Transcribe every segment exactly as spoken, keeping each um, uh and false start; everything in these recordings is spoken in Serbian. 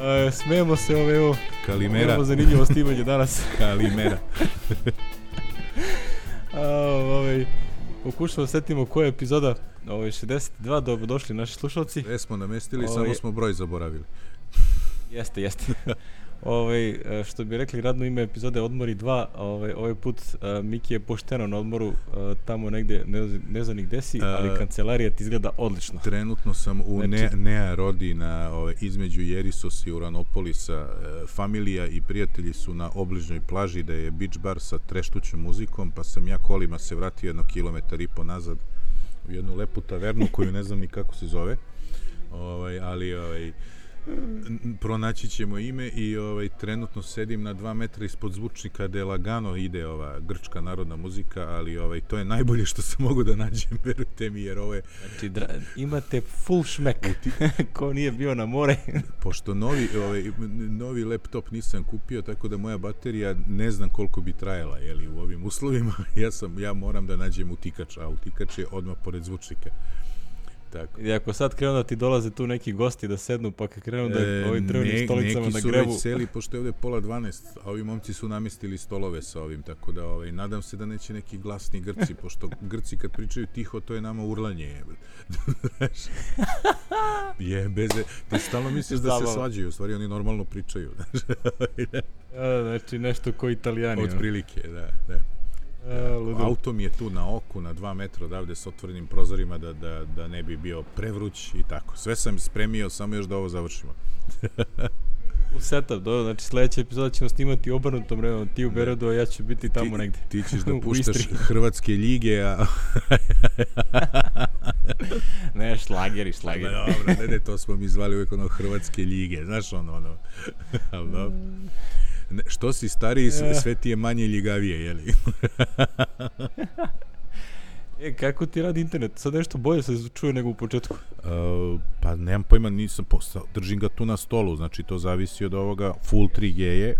Uh, smijemo se ove, evo. Kalimera. Imamo zanimljivo snimanje danas. Kalimera. uh, ovaj, pokušamo setimo koja je epizoda. Ovaj, šezdeset dva, dobro došli naši slušalci. Sve smo namestili, ovaj, samo smo broj zaboravili. Jeste, jeste. Ovaj, što bi rekli radno ime epizode Odmori dva, ovaj, ovaj put uh, Miki je pošteno na odmoru uh, tamo negde, ne, ne znam ni gde si, ali uh, kancelarija ti izgleda odlično. Trenutno sam u znači, ne, Nea Rodi na, ove, između Jerisos i Uranopolisa. E, familija i prijatelji su na obližnjoj plaži da je beach bar sa treštućom muzikom, pa sam ja kolima se vratio jedno kilometar i po nazad u jednu lepu tavernu koju ne znam ni kako se zove, ovaj, ali ovaj, pronaći ćemo ime i ovaj, trenutno sedim na dva metra ispod zvučnika gde lagano ide ova grčka narodna muzika, ali ovaj, to je najbolje što sam mogu da nađem, verujte mi, jer ovo je... Znači, dra, imate full šmek, ti... ko nije bio na more. Pošto novi, ovaj, novi laptop nisam kupio, tako da moja baterija ne znam koliko bi trajala, jeli, u ovim uslovima, ja, sam, ja moram da nađem utikač, a utikač je odmah pored zvučnika. Tako. I ako sad krenu da ti dolaze tu neki gosti da sednu, pa kad krenu da e, ovim drvenim ne, stolicama na grebu... Neki su već seli, pošto je ovde pola dvanaest, a ovi momci su namestili stolove sa ovim, tako da ovaj, nadam se da neće neki glasni Grci, pošto Grci kad pričaju tiho, to je nama urlanje. je, bez... Ti stalno misliš da se svađaju, u stvari oni normalno pričaju. a, znači nešto ko Italijani. Od prilike, da, da. Uh, auto mi je tu na oku, na dva metra odavde s otvorenim prozorima da, da, da ne bi bio prevruć i tako. Sve sam spremio, samo još da ovo završimo. U setup, dobro, znači sljedeća epizoda ćemo snimati obrnutom vremenom, ti u Beredu, a ja ću biti tamo ti, negde. Ti ćeš da puštaš hrvatske lige, a... ne, šlageri, šlageri. Dobro, ne, ne, to smo mi zvali uvijek ono hrvatske lige, znaš ono, ono. Ali dobro. Ne, što si stariji, sve ti je manje ljigavije, jeli? e, kako ti radi internet? Sad nešto bolje se čuje nego u početku? Uh, pa nemam pojma, nisam postao, držim ga tu na stolu, znači to zavisi od ovoga, full tri G je,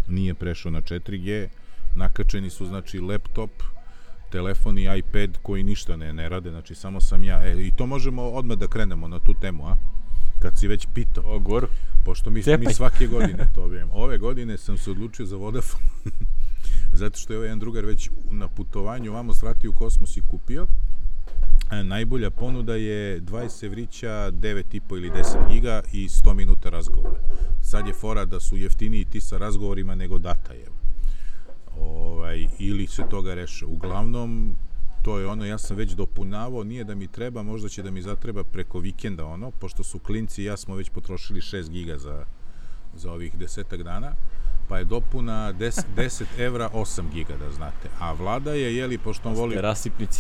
nije prešao na četiri G, nakačeni su, znači, laptop, telefon i iPad koji ništa ne, ne rade, znači samo sam ja, e, i to možemo odmah da krenemo na tu temu, a? Kad si već pitao. O, goru. Pošto mi, mi svake godine to obavljamo. Ove godine sam se odlučio za Vodafone, zato što je ovaj jedan drugar već na putovanju vamo svrati u kosmos i kupio. E, najbolja ponuda je dvadeset evrića, devet i po ili deset giga i sto minuta razgovora. Sad je fora da su jeftiniji ti sa razgovorima nego data je. Ovaj, ili se toga reše. Uglavnom, to je ono, ja sam već dopunavao, nije da mi treba, možda će da mi zatreba preko vikenda ono, pošto su klinci i ja smo već potrošili šest giga za, za ovih desetak dana, pa je dopuna deset evra osam giga, da znate. A Vlada je, jeli, pošto on voli,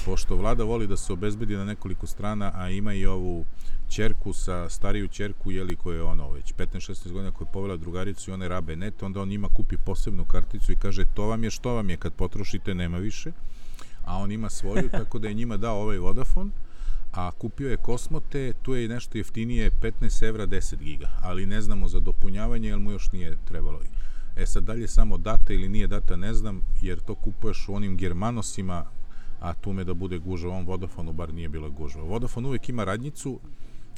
pošto Vlada voli da se obezbedi na nekoliko strana, a ima i ovu ćerku sa stariju ćerku, jeli, koja je ono, već petnaest šesnaest godina, koja je povela drugaricu i one rabe net, onda on njima kupi posebnu karticu i kaže, to vam je, što vam je, kad potrošite, nema više. A on ima svoju, tako da je njima dao ovaj Vodafone, a kupio je Kosmote, tu je nešto jeftinije, petnaest evra, deset giga, ali ne znamo za dopunjavanje, jer mu još nije trebalo. E sad, dalje samo data ili nije data, ne znam, jer to kupuješ u onim Germanosima, a tu me da bude gužva, ovom Vodafonu bar nije bilo gužva. Vodafone uvijek ima radnjicu,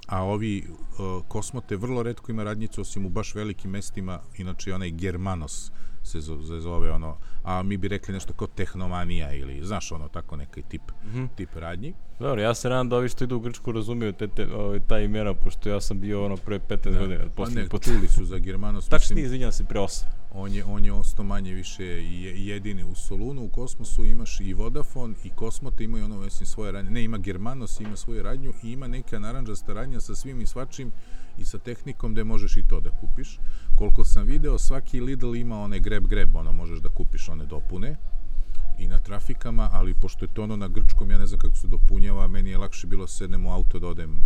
a ovi uh, Kosmote vrlo retko ima radnjicu, osim u baš velikim mestima, inače onaj Germanos se zove ono, a mi bi rekli nešto kao Tehnomanija ili, znaš, ono, tako neki tip, mm-hmm. tip radnji. Dobro, ja se nadam da ovi što idu u Grčku razumiju te, te, ovaj, ta imena, pošto ja sam bio ono prve petnaest godina. Pa ne, put. Čuli su za Germanos. Tačnije, izvinjam se, pre osam. On je, on je ostao manje više jedini u Solunu, u Kosmosu imaš i Vodafone i Kosmote imaju ono, mislim, svoje radnje. Ne, ima Germanos, ima svoju radnju i ima neka naranđasta radnja sa svim i svačim i sa tehnikom gde možeš i to da kupiš. Koliko sam video, svaki Lidl ima one grab-grab, ono, možeš da kupiš one dopune i na trafikama, ali pošto je to ono na grčkom, ja ne znam kako se dopunjava, meni je lakše bilo sednem u auto da odem,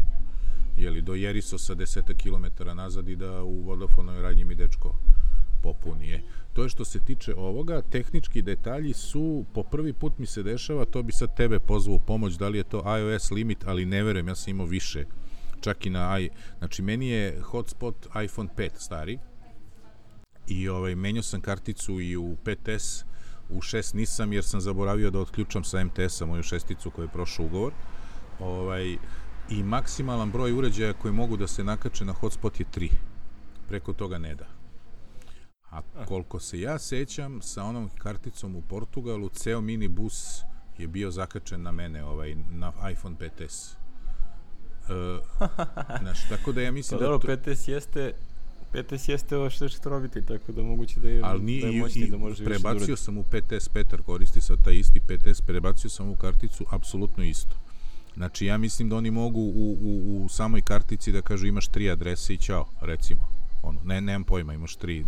jeli, do Jerisosa deseta kilometara nazad i da u Vodafonoj radnji mi dečko popuni je. To je što se tiče ovoga, tehnički detalji su, po prvi put mi se dešava, to bi sad tebe pozvao u pomoć, da li je to iOS limit, ali ne verujem, ja sam imao više, čak i na i, znači meni je hotspot iPhone pet stari i ovaj, menjao sam karticu i u pet es, u šest nisam jer sam zaboravio da otključam sa em te esa moju šesticu koju je prošao ugovor, ovaj, i maksimalan broj uređaja koji mogu da se nakače na hotspot je tri. preko toga ne da. A koliko se ja sećam, sa onom karticom u Portugalu, ceo minibus je bio zakačen na mene, ovaj, na iPhone pet es. Uh, znaš, tako da ja mislim pa, da... dobro, to... pet es jeste... pet es jeste ovo što što robiti, tako da moguće da je, ali ni, da je moćni, da može više prebacio durati. sam u pet es, Petar koristi sad taj isti pet es, prebacio sam u karticu apsolutno isto. Znači, ja mislim da oni mogu u, u, u samoj kartici da kažu imaš tri adrese i ćao, recimo. Ono, ne, nemam pojma, imaš tri...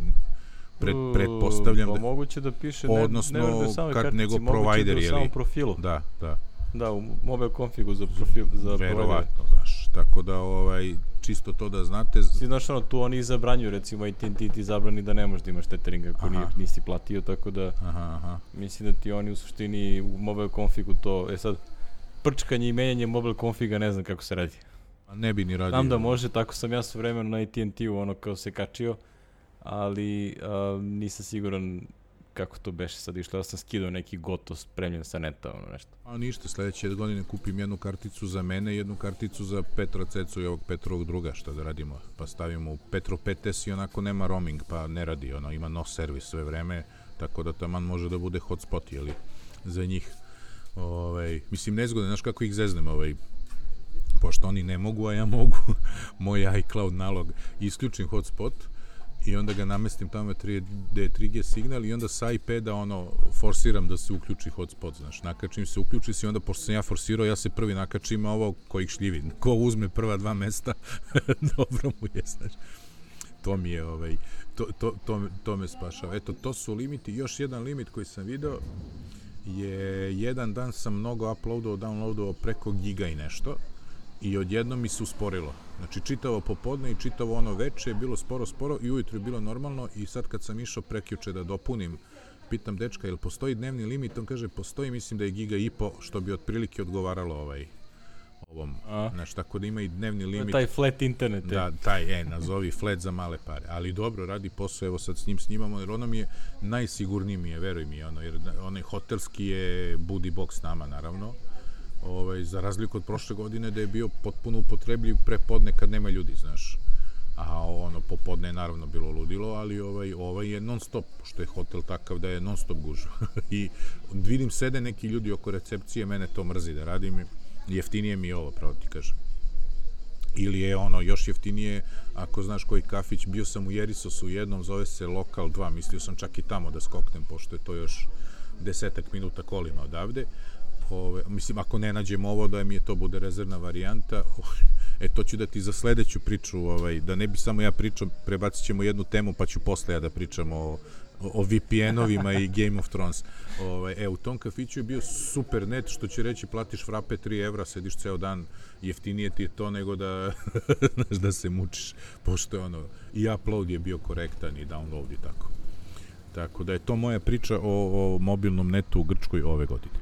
Pred, pretpostavljam da... moguće da piše, odnosno, ne, ne da samoj kad, kartici, nego provider, da je u samom profilu. Da, da. Da, u mobile configu za profil, za verovatno, znaš, tako da, ovaj, čisto to da znate... Si znaš, ono, tu oni zabranjuju, recimo, A T and T ti zabrani da ne možeš da imaš tethering ako nije, nisi platio, tako da, aha, aha. mislim da ti oni u suštini u mobile configu to, e sad, prčkanje i menjanje mobile configa ne znam kako se radi. A ne bi ni radio. Znam da može, tako sam ja sve vremeno na A T and T-u ono kao se kačio, ali uh, nisam siguran kako to beše sad išlo. Ja sam skidao neki gotov spremljen sa neta, ono nešto. A ništa, sledeće godine kupim jednu karticu za mene, jednu karticu za Petra Cecu i ovog Petrovog druga, šta da radimo. Pa stavimo u Petro pet es i onako nema roaming, pa ne radi, ono, ima no servis sve vreme, tako da taman može da bude hotspot, jeli, za njih. Ovaj, mislim, nezgodno, znaš kako ih zeznem, ovaj, pošto oni ne mogu, a ja mogu, moj iCloud nalog, isključim hotspot, i onda ga namestim tamo da je tri G signal i onda sa iPada ono forsiram da se uključi hotspot, znaš, nakačim se, uključi se i onda pošto sam ja forsirao, ja se prvi nakačim, a ovo ko ih šljivi, ko uzme prva dva mesta, dobro mu je, znaš. To mi je, ovaj, to, to, to, to me spašava. Eto, to su limiti. Još jedan limit koji sam video je, jedan dan sam mnogo uploadao, downloadao preko giga i nešto, i odjednom mi se usporilo. Znači, čitavo popodne i čitavo ono veče je bilo sporo, sporo i ujutro je bilo normalno i sad kad sam išao prekjuče da dopunim, pitam dečka, jel postoji dnevni limit? On kaže, postoji, mislim da je giga i po, što bi otprilike odgovaralo ovaj, ovom. Znači, tako da ima i dnevni limit. Taj flat internet. Da, taj, e, nazovi flat za male pare. Ali dobro, radi posao, evo sad s njim snimamo, jer ono mi je, najsigurniji mi je, veruj mi, ono, jer onaj hotelski je budi box nama, naravno. Ovaj, za razliku od prošle godine da je bio potpuno upotrebljiv prepodne kad nema ljudi, znaš. A ono, popodne je naravno bilo ludilo, ali ovaj, ovaj je non stop, što je hotel takav da je non stop gužva. I vidim sede neki ljudi oko recepcije, mene to mrzi da radim, jeftinije mi je ovo, pravo ti kažem. Ili je ono, još jeftinije, ako znaš koji kafić, bio sam u Jerisosu jednom, zove se Lokal dva, mislio sam čak i tamo da skoknem, pošto je to još desetak minuta kolima odavde. Ove, mislim, ako ne nađem ovo, da mi je to bude rezervna varijanta, e, to ću da ti za sledeću priču, ovaj, da ne bi samo ja pričao, prebacit ćemo jednu temu, pa ću posle ja da pričam o, o V P N-ovima i Game of Thrones. Ove, e, u tom kafiću je bio super net, što će reći, platiš frape tri evra, sediš ceo dan, jeftinije ti je to nego da, znaš, da se mučiš, pošto je ono, i upload je bio korektan i download i tako. Tako da je to moja priča o, o mobilnom netu u Grčkoj ove godine.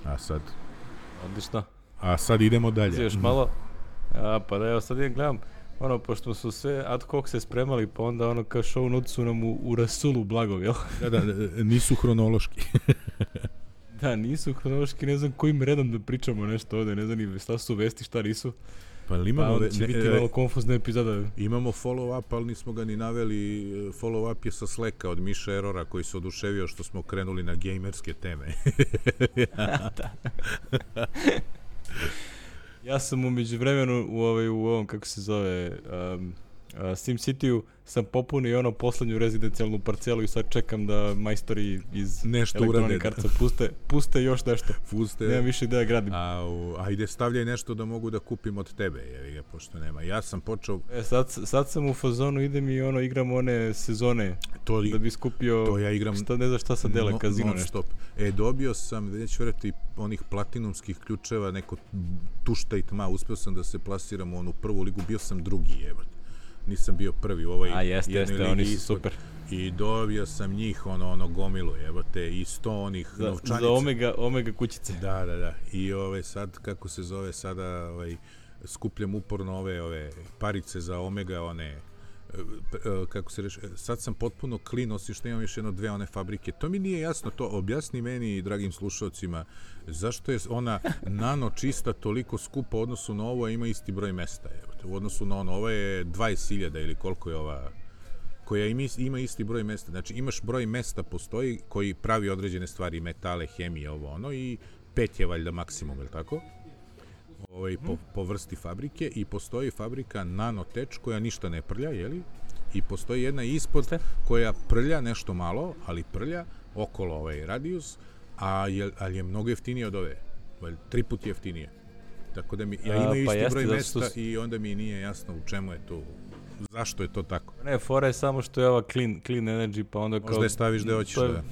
A sad... Odlično. A sad idemo dalje. Još malo. A, pa da evo sad ja gledam, ono, pošto su sve ad hoc se spremali, pa onda ono kao show notes su nam u, u rasulu blagov, jel? Da, da, nisu hronološki. Da, nisu hronološki, ne znam kojim redom da pričamo nešto ovde, ne znam ni šta su vesti, šta nisu. Pa imamo, pa će ne, biti malo konfuzna epizoda. Imamo follow-up, ali nismo ga ni naveli. Follow-up je sa Slacka od Miša Erora, koji se oduševio što smo krenuli na gejmerske teme. Ja sam umeđu vremenu u, ovaj, u ovom, kako se zove, um, uh, SimCity-u sam popunio ono poslednju rezidencijalnu parcelu i sad čekam da majstori iz nešto Electronic Artsa puste, puste još nešto. Puste. Nemam više ideja gradim. A, u, ajde stavljaj nešto da mogu da kupim od tebe, jevi ga, pošto nema. Ja sam počeo... E, sad, sad sam u fazonu, idem i ono, igram one sezone to li, da bi skupio, to ja igram, šta, ne znam šta sa dele, no, kazino nešto. Stop. E, dobio sam, već vrati, onih platinumskih ključeva, neko tušta i tma, uspeo sam da se plasiram u onu prvu ligu, bio sam drugi, evo. Nisam bio prvi u ovoj... A jeste, jeste, oni su super. I dobio sam njih, ono, ono, gomilu, evo te, i sto onih za, novčanica. Za omega, omega kućice. Da, da, da. I ove, sad, kako se zove, sada, ovaj, skupljam uporno ove, ove, parice za omega, one, kako se reši, sad sam potpuno clean, osim što imam još jedno dve one fabrike. To mi nije jasno, to objasni meni i dragim slušalcima, zašto je ona nano čista toliko skupa u odnosu na ovo, a ima isti broj mesta, evo te, u odnosu na ono, ovo je dvadeset hiljada ili koliko je ova koja ima, ima isti broj mesta. Znači, imaš broj mesta postoji koji pravi određene stvari, metale, hemije, ovo ono, i pet je valjda maksimum, je li tako? Ovaj, po, po vrsti fabrike, i postoji fabrika Nanotech koja ništa ne prlja, jeli? I postoji jedna ispod koja prlja nešto malo, ali prlja okolo ovaj radijus, a je, ali je mnogo jeftinije od ove. Tri put jeftinije. Tako da mi, ja imaju isti pa broj mesta su... i onda mi nije jasno u čemu je to, zašto je to tako. Ne, fora je samo što je ova clean, clean energy, pa onda kao... Možda je staviš gde hoćeš, je, da.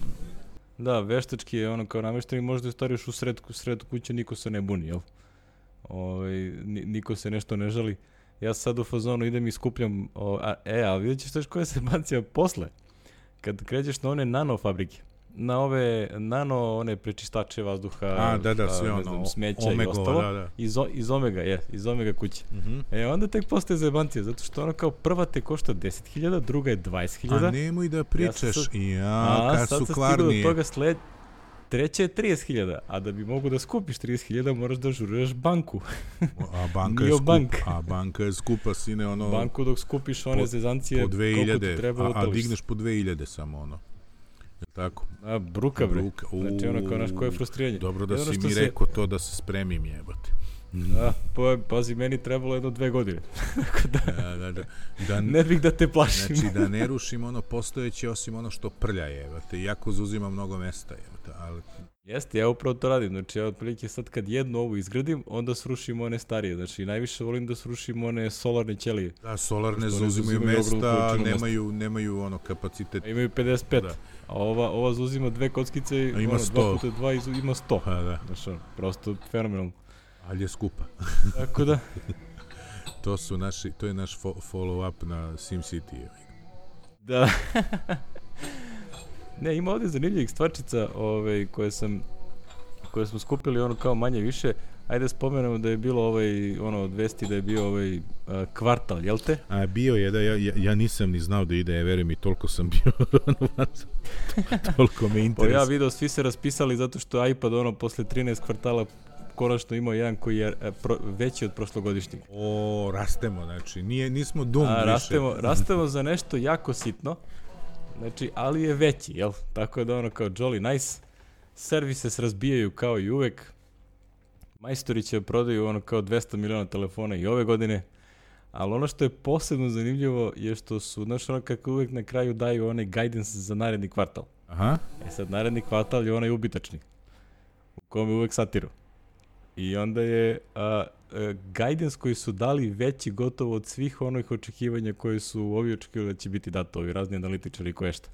Da, veštački je ono kao namješteni, možda je stariš u sred, sred kuće, niko se ne buni, jel? Ovaj, niko se nešto ne žali. Ja sad u fazonu idem i skupljam, o, a, e, ali vidjet ćeš što koja se bancija posle. Kad krećeš na one nano fabrike, na ove nano, one prečistače vazduha, a, da, da, sve a, ne ono, znam, smeća omegova, i ostalo, da, da. Iz, iz Omega, je, iz Omega kuće. Uh-huh. E, onda tek postaje zajebancija, zato što ono kao prva te košta deset hiljada, druga je dvadeset hiljada. A nemoj da pričaš, ja, sad, ja kad su kvarni. A, sad sam stigao do toga sled... Treća je trideset hiljada, a da bi mogu da skupiš trideset hiljada moraš da žuruješ banku. A banka je skupa, bank. a banka je skupa, sine, ono... Banku dok skupiš one po, zezancije, po dve hiljade, koliko ti treba a, utališ. A digneš po dve hiljade samo, ono. Je tako? A, bruka, bre. Bruka. Znači, ono kao naš koje frustriranje. Dobro da jedno si mi se... rekao to da se spremim, jebate. Da, pa, pazi, meni trebalo jedno dve godine. da, da, da, da, da, ne bih da te plašim. Znači, da ne rušim ono postojeće, osim ono što prlja, jebate. Iako zauzima mnogo mesta, jebate, ali... Jeste, ja upravo to radim, znači ja otprilike sad kad jednu ovu izgradim, onda srušim one starije, znači najviše volim da srušim one solarne ćelije. Da, solarne zauzimaju mesta, nemaju, nemaju ono kapacitet. A imaju pedeset pet, da. A ova, ova zauzima dve kockice i ono, dva puta dva ima sto. A, da. Znači, ono, prosto fenomenalno. Ali je skupa. Tako da. to su naši, to je naš fo- follow-up na SimCity. Da. Ne, ima ovdje zanimljivih stvarčica ovaj, koje sam koje smo skupili ono kao manje više. Ajde spomenemo da je bilo ovaj, ono, vesti da je bio ovaj uh, kvartal, jel te? A bio je, da, ja, ja nisam ni znao da ide, veruj mi, toliko sam bio, toliko me interes. Pa ja video, svi se raspisali zato što iPad, ono, posle trinaest kvartala konačno imao jedan koji je pro, veći od prošlogodišnjeg. O, rastemo, znači, nije, nismo dum više. Rastemo, rastemo za nešto jako sitno. Znači, ali je veći, jel? Tako da ono kao jolly nice. Servise se razbijaju kao i uvek. Majstori će prodaju ono kao dvesta miliona telefona i ove godine. Ali ono što je posebno zanimljivo je što su, znaš, ono kako uvek na kraju daju onaj guidance za naredni kvartal. Aha. E sad, naredni kvartal je onaj ubitačni. U kome uvek satiru. I onda je a, a, guidance koji su dali veći gotovo od svih onih očekivanja koje su ovi očekivali da će biti dato, ovi razni analitičari i koje šta.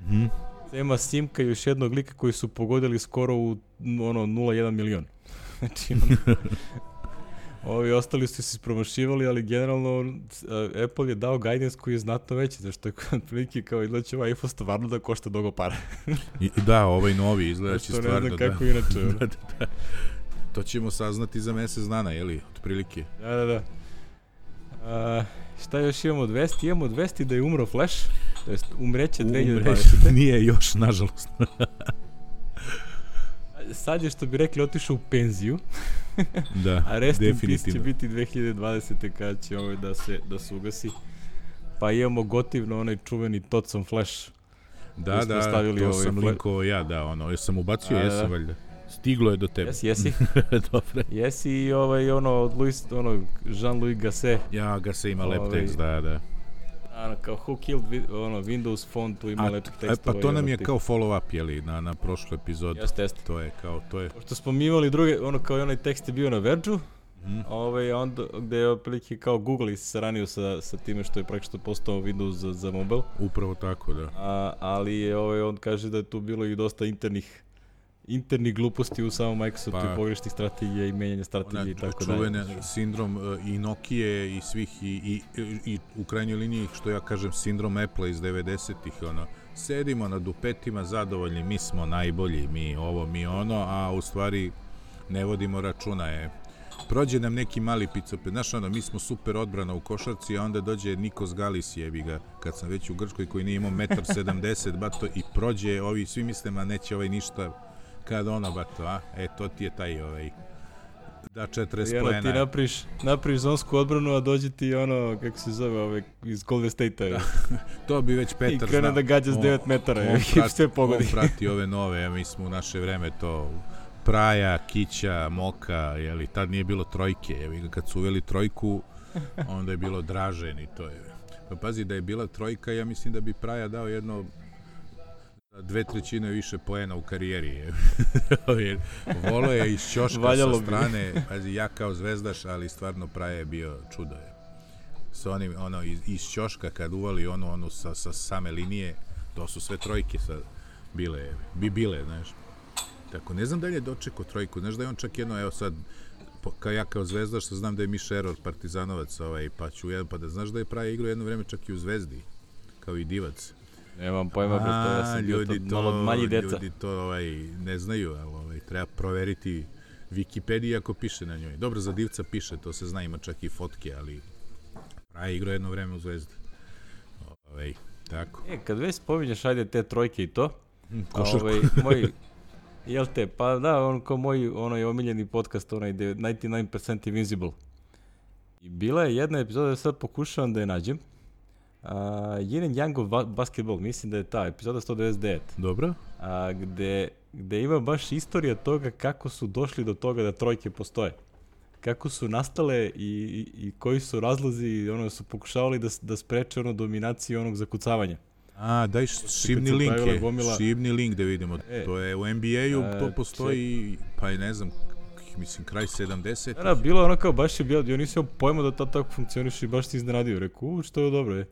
Mhm. Ima Simka i još jednog lika koji su pogodili skoro u ono nula zarez jedan milion. Znači, ono, ovi ostali su se ispromašivali, ali generalno uh, Apple je dao guidance koji je znatno veći, zašto je prilike kao izgleda će ovaj iPhone stvarno da košta dogo para. I, da, ovaj novi izgleda će stvarno, da. Ne znam kako inače. da, da, da. To ćemo saznati za mesec dana, jeli, otprilike. Da, da, da. Uh, šta još imamo od vesti? Imamo od vesti da je umro Flash, to jest umreće dve hiljade dvadesete. Nije još, nažalost. Sad je, što bi rekli, otišao u penziju. Da, a rest in definitivno. peace će biti dve hiljade dvadesete kada će ovaj da se, da se ugasi. Pa imamo gotivno onaj čuveni Totson Flash. Da, da, to ovaj sam linkovao ja, da, ono, jesam ubacio, a, jesam valjda. Stiglo je do tebe. Jesi, jesi. Dobre. Jesi i ovaj, ono, od Louis, ono, Jean-Louis Gasset. Ja, Gasset ima ovaj, lep tekst, da, da. Ano, kao Who Killed vi, ono, Windows Phone, tu ima lepih tekstova. Pa to nam je kao follow-up, jeli, na, na prošlu epizodu. Jeste, jeste. To je kao, to je... Pošto smo mi imali druge, ono, kao i onaj tekst je bio na Verge-u, mm. ovaj, onda, gde je otprilike kao Google se saranio sa, sa time što je praktično postao Windows za, za mobile. Upravo tako, da. A, ali je, ovaj, on kaže da je tu bilo i dosta internih internih gluposti u samom Microsoftu, pa, i pogrešnih strategija i menjanja strategije i tako dalje. Čuvene sindrom uh, i Nokije i svih i, i, i, i u krajnjoj liniji, što ja kažem, sindrom Apple iz devedesetih, ono, sedimo na dupetima zadovoljni, mi smo najbolji, mi ovo, mi ono, a u stvari ne vodimo računa, je. Prođe nam neki mali picopet, znaš ono, mi smo super odbrana u košarci, a onda dođe Nikos Galis, jebi ga, kad sam već u Grčkoj, koji nije imao metar sedamdeset, bato, i prođe, ovi svi misle, ma neće ovaj ništa, kad ono, bato, a, e, to ti je taj, ovaj, Da, četrdeset I ono, poena. ti napriš, napriš zonsku odbranu, a dođe ti ono, kako se zove, ove, iz Golden State-a. To bi već Petar znao. I krene da gađa s devet metara. On, On, sve pogodi. On prati ove nove, mi smo u naše vreme to Praja, Kića, Moka, jeli, tad nije bilo trojke, jeli, kad su uveli trojku, onda je bilo Dražen i to je. Pa pazi, da je bila trojka, ja mislim da bi Praja dao jedno dve trećine više poena u karijeri. Volo je iz ćoška Valjalo sa strane, pazi, ja kao zvezdaš, ali stvarno Praja je bio čudo. Je. Sa onim, ono, iz, iz ćoška kad uvali ono, ono sa, sa same linije, to su sve trojke sa, bile, bi bile, znaš. Tako, ne znam da li je dočekao trojku, znaš da je on čak jedno, evo sad, kao ja kao zvezdaš, što znam da je Miš Eror, partizanovac, ovaj, pa ću jedan, pa da znaš da je Praja igrao jedno vreme čak i u Zvezdi, kao i Divac. Nemam pojma, to ja sam bio to, to malo manji deca. Ljudi to ovaj, ne znaju, ali ovaj, treba proveriti Wikipediju ako piše na njoj. Dobro, za Divca piše, to se zna, ima čak i fotke, ali Praja igrao jedno vreme u Zvezdi. Ovaj, tako. E, kad već spominješ, ajde, te trojke i to, košarku. Ovaj, moj, jel te, pa da, on kao moj onaj omiljeni podcast, onaj devedeset devet percent Invincible. I bila je jedna epizoda, da sad pokušavam da je nađem, Uh, Yin and Yang of Basketball, mislim da je ta epizoda sto devedeset devet. Dobro. Uh, gde, gde ima baš istorija toga kako su došli do toga da trojke postoje. Kako su nastale i, i, i koji su razlozi, ono su pokušavali da, da spreče ono dominaciju onog zakucavanja. A, daj šibni link je, gomila... šibni link da vidimo. E, to je u N B A-u, to postoji, ček. Pa je ne znam, mislim, kraj sedamdeset. Da, bilo je ono kao, baš je bilo, ja nisam pojma da to tako funkcioniš i baš ti iznenadio. Rekao, u, što je dobro je.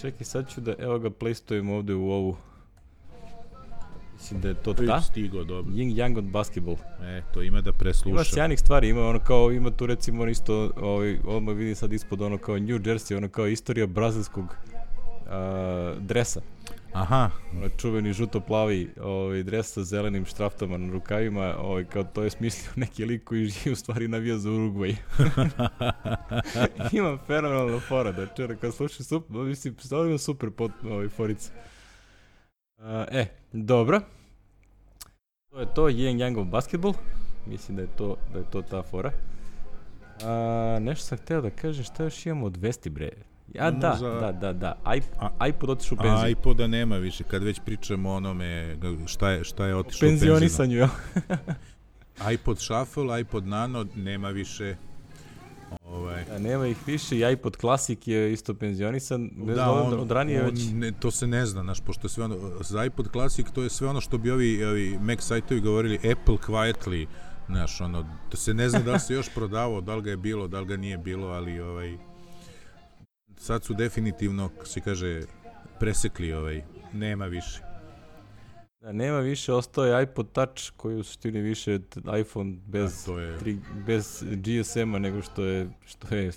Čekaj, sad ću da, evo ga, playstojem ovde u ovu. Mislim da je to ta. Stigo, dobro. Yin Yang od Basketball. E, to ima da preslušam. Ima sjajnih stvari, ima ono kao, ima tu recimo isto, ovaj, odmah vidim sad ispod ono kao New Jersey, ono kao istorija brazilskog uh, dresa. Aha. Ono čuveni žuto-plavi ovaj, dres sa zelenim štraftama na rukavima, ovaj, kao to je smislio neki lik koji živi u stvari navija za Urugvaj. Imam fenomenalna fora, da čera, kad slušam super, mislim, stavljam super pot, ovaj, forice. Uh, e, dobro. To je to, Yin Yang of Basketball. Mislim da je to, da je to ta fora. Uh, nešto sam hteo da kažem, šta još imamo od vesti, bre? Ja, da, za... da, da, da, I, iPod otišao u penziju. iPoda nema više, kad već pričamo o onome, šta je, šta je otišao u penziju. Penzionisanju, jel? iPod Shuffle, iPod Nano, nema više. Ovaj. Da, nema ih više, i iPod Classic je isto penzionisan. Da, on, od ranije on, već... ne, to se ne zna, znaš, pošto sve ono, za iPod Classic to je sve ono što bi ovi, ovi Mac sajtovi govorili Apple quietly, znaš, ono, da se ne zna da li se još prodavao, da li ga je bilo, da li ga nije bilo, ali ovaj... Sad su definitivno, kako se kaže, presekli ovaj, nema više. Da, nema više, ostao je iPod Touch koji u suštini više iPhone bez, je... tri, bez G S M-a nego što je, što je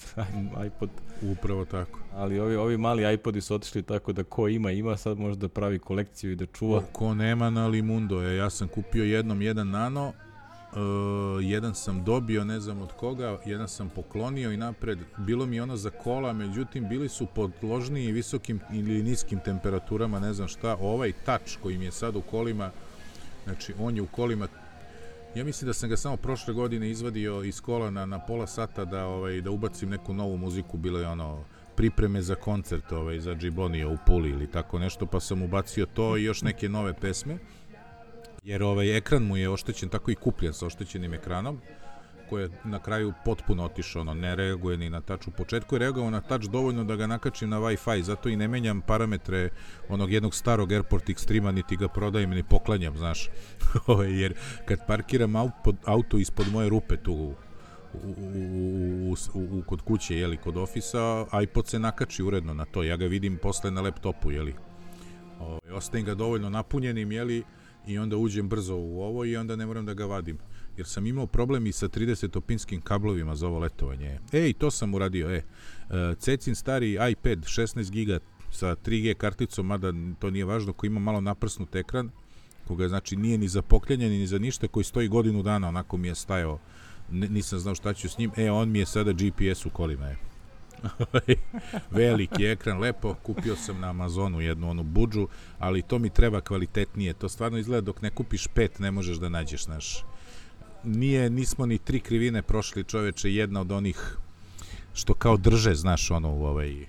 iPod. Upravo tako. Ali ovi, ovi mali iPodi su otišli tako da ko ima, ima, sad može da pravi kolekciju i da čuva. Ko nema na Limundo je, ja sam kupio jednom jedan Nano, Uh, jedan sam dobio, ne znam od koga, jedan sam poklonio i napred, bilo mi ono za kola, međutim bili su podložniji visokim ili niskim temperaturama, ne znam šta, ovaj Touch koji mi je sad u kolima, znači on je u kolima, ja mislim da sam ga samo prošle godine izvadio iz kola na, na pola sata da, ovaj, da ubacim neku novu muziku, bilo je ono pripreme za koncert ovaj, za Džibonija u Puli ili tako nešto, pa sam ubacio to i još neke nove pesme. Jer ovaj ekran mu je oštećen, tako i kupljen sa oštećenim ekranom, koji je na kraju potpuno otišao, ono, ne reaguje ni na touch. U početku je reagovao na touch dovoljno da ga nakačim na Wi-Fi, zato i ne menjam parametre onog jednog starog Airport Extrema, niti ga prodajem, ni poklanjam, znaš. Jer kad parkiram auto ispod moje rupe tu u, u, u, u, u, kod kuće, jeli, kod ofisa, iPod se nakači uredno na to, ja ga vidim posle na laptopu, jeli. Ovaj, ostavim ga dovoljno napunjenim, jeli, i onda uđem brzo u ovo i onda ne moram da ga vadim. Jer sam imao problem i sa tridesetopinskim kablovima za ovo letovanje. Ej, to sam uradio, e. Cecin stari iPad šesnaest giga sa tri G karticom, mada to nije važno, koji ima malo naprsnut ekran, koga znači nije ni za poklanjanje, ni za ništa, koji stoji godinu dana, onako mi je stajao, N- nisam znao šta ću s njim, e, on mi je sada G P S u kolima, je. Veliki ekran, lepo, kupio sam na Amazonu jednu onu budžu, ali to mi treba kvalitetnije, to stvarno izgleda dok ne kupiš pet ne možeš da nađeš, znaš. nije, nismo ni tri krivine prošli, čoveče, jedna od onih što kao drže, znaš, ono, u ovaj,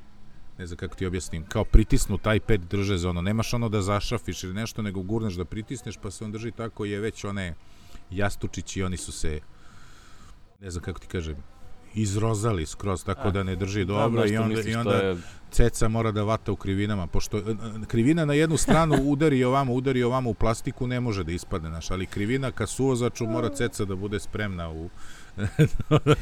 ne znam kako ti objasnim, kao pritisnu taj iPad drže za ono, nemaš ono da zašrafiš ili nešto, nego gurneš da pritisneš, pa se on drži tako, je već one jastučići, oni su se, ne znam kako ti kažem, izrozali skroz, tako A, da ne drži dobro i onda, i onda je... ceca mora da vata u krivinama, pošto krivina na jednu stranu udari ovamo, udari ovamo u plastiku, ne može da ispadne, naš, ali krivina ka suvozaču mora ceca da bude spremna u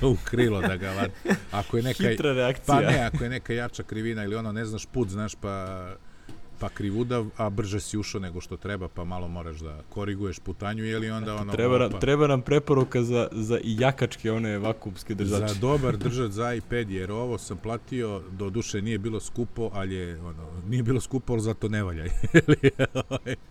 u krilo da ga vata. Ako je neka, hitra reakcija. Pa ne, ako je neka jača krivina ili ono, ne znaš put, znaš, pa pa krivudav, a brže si ušao nego što treba, pa malo moraš da koriguješ putanju, ili onda ono... Treba, opa, treba nam preporuka za, za i jakačke, one vakuumske držače. Za dobar držač za iPad, jer ovo sam platio, do duše nije bilo skupo, ali je, ono, nije bilo skupo, ali zato ne valja.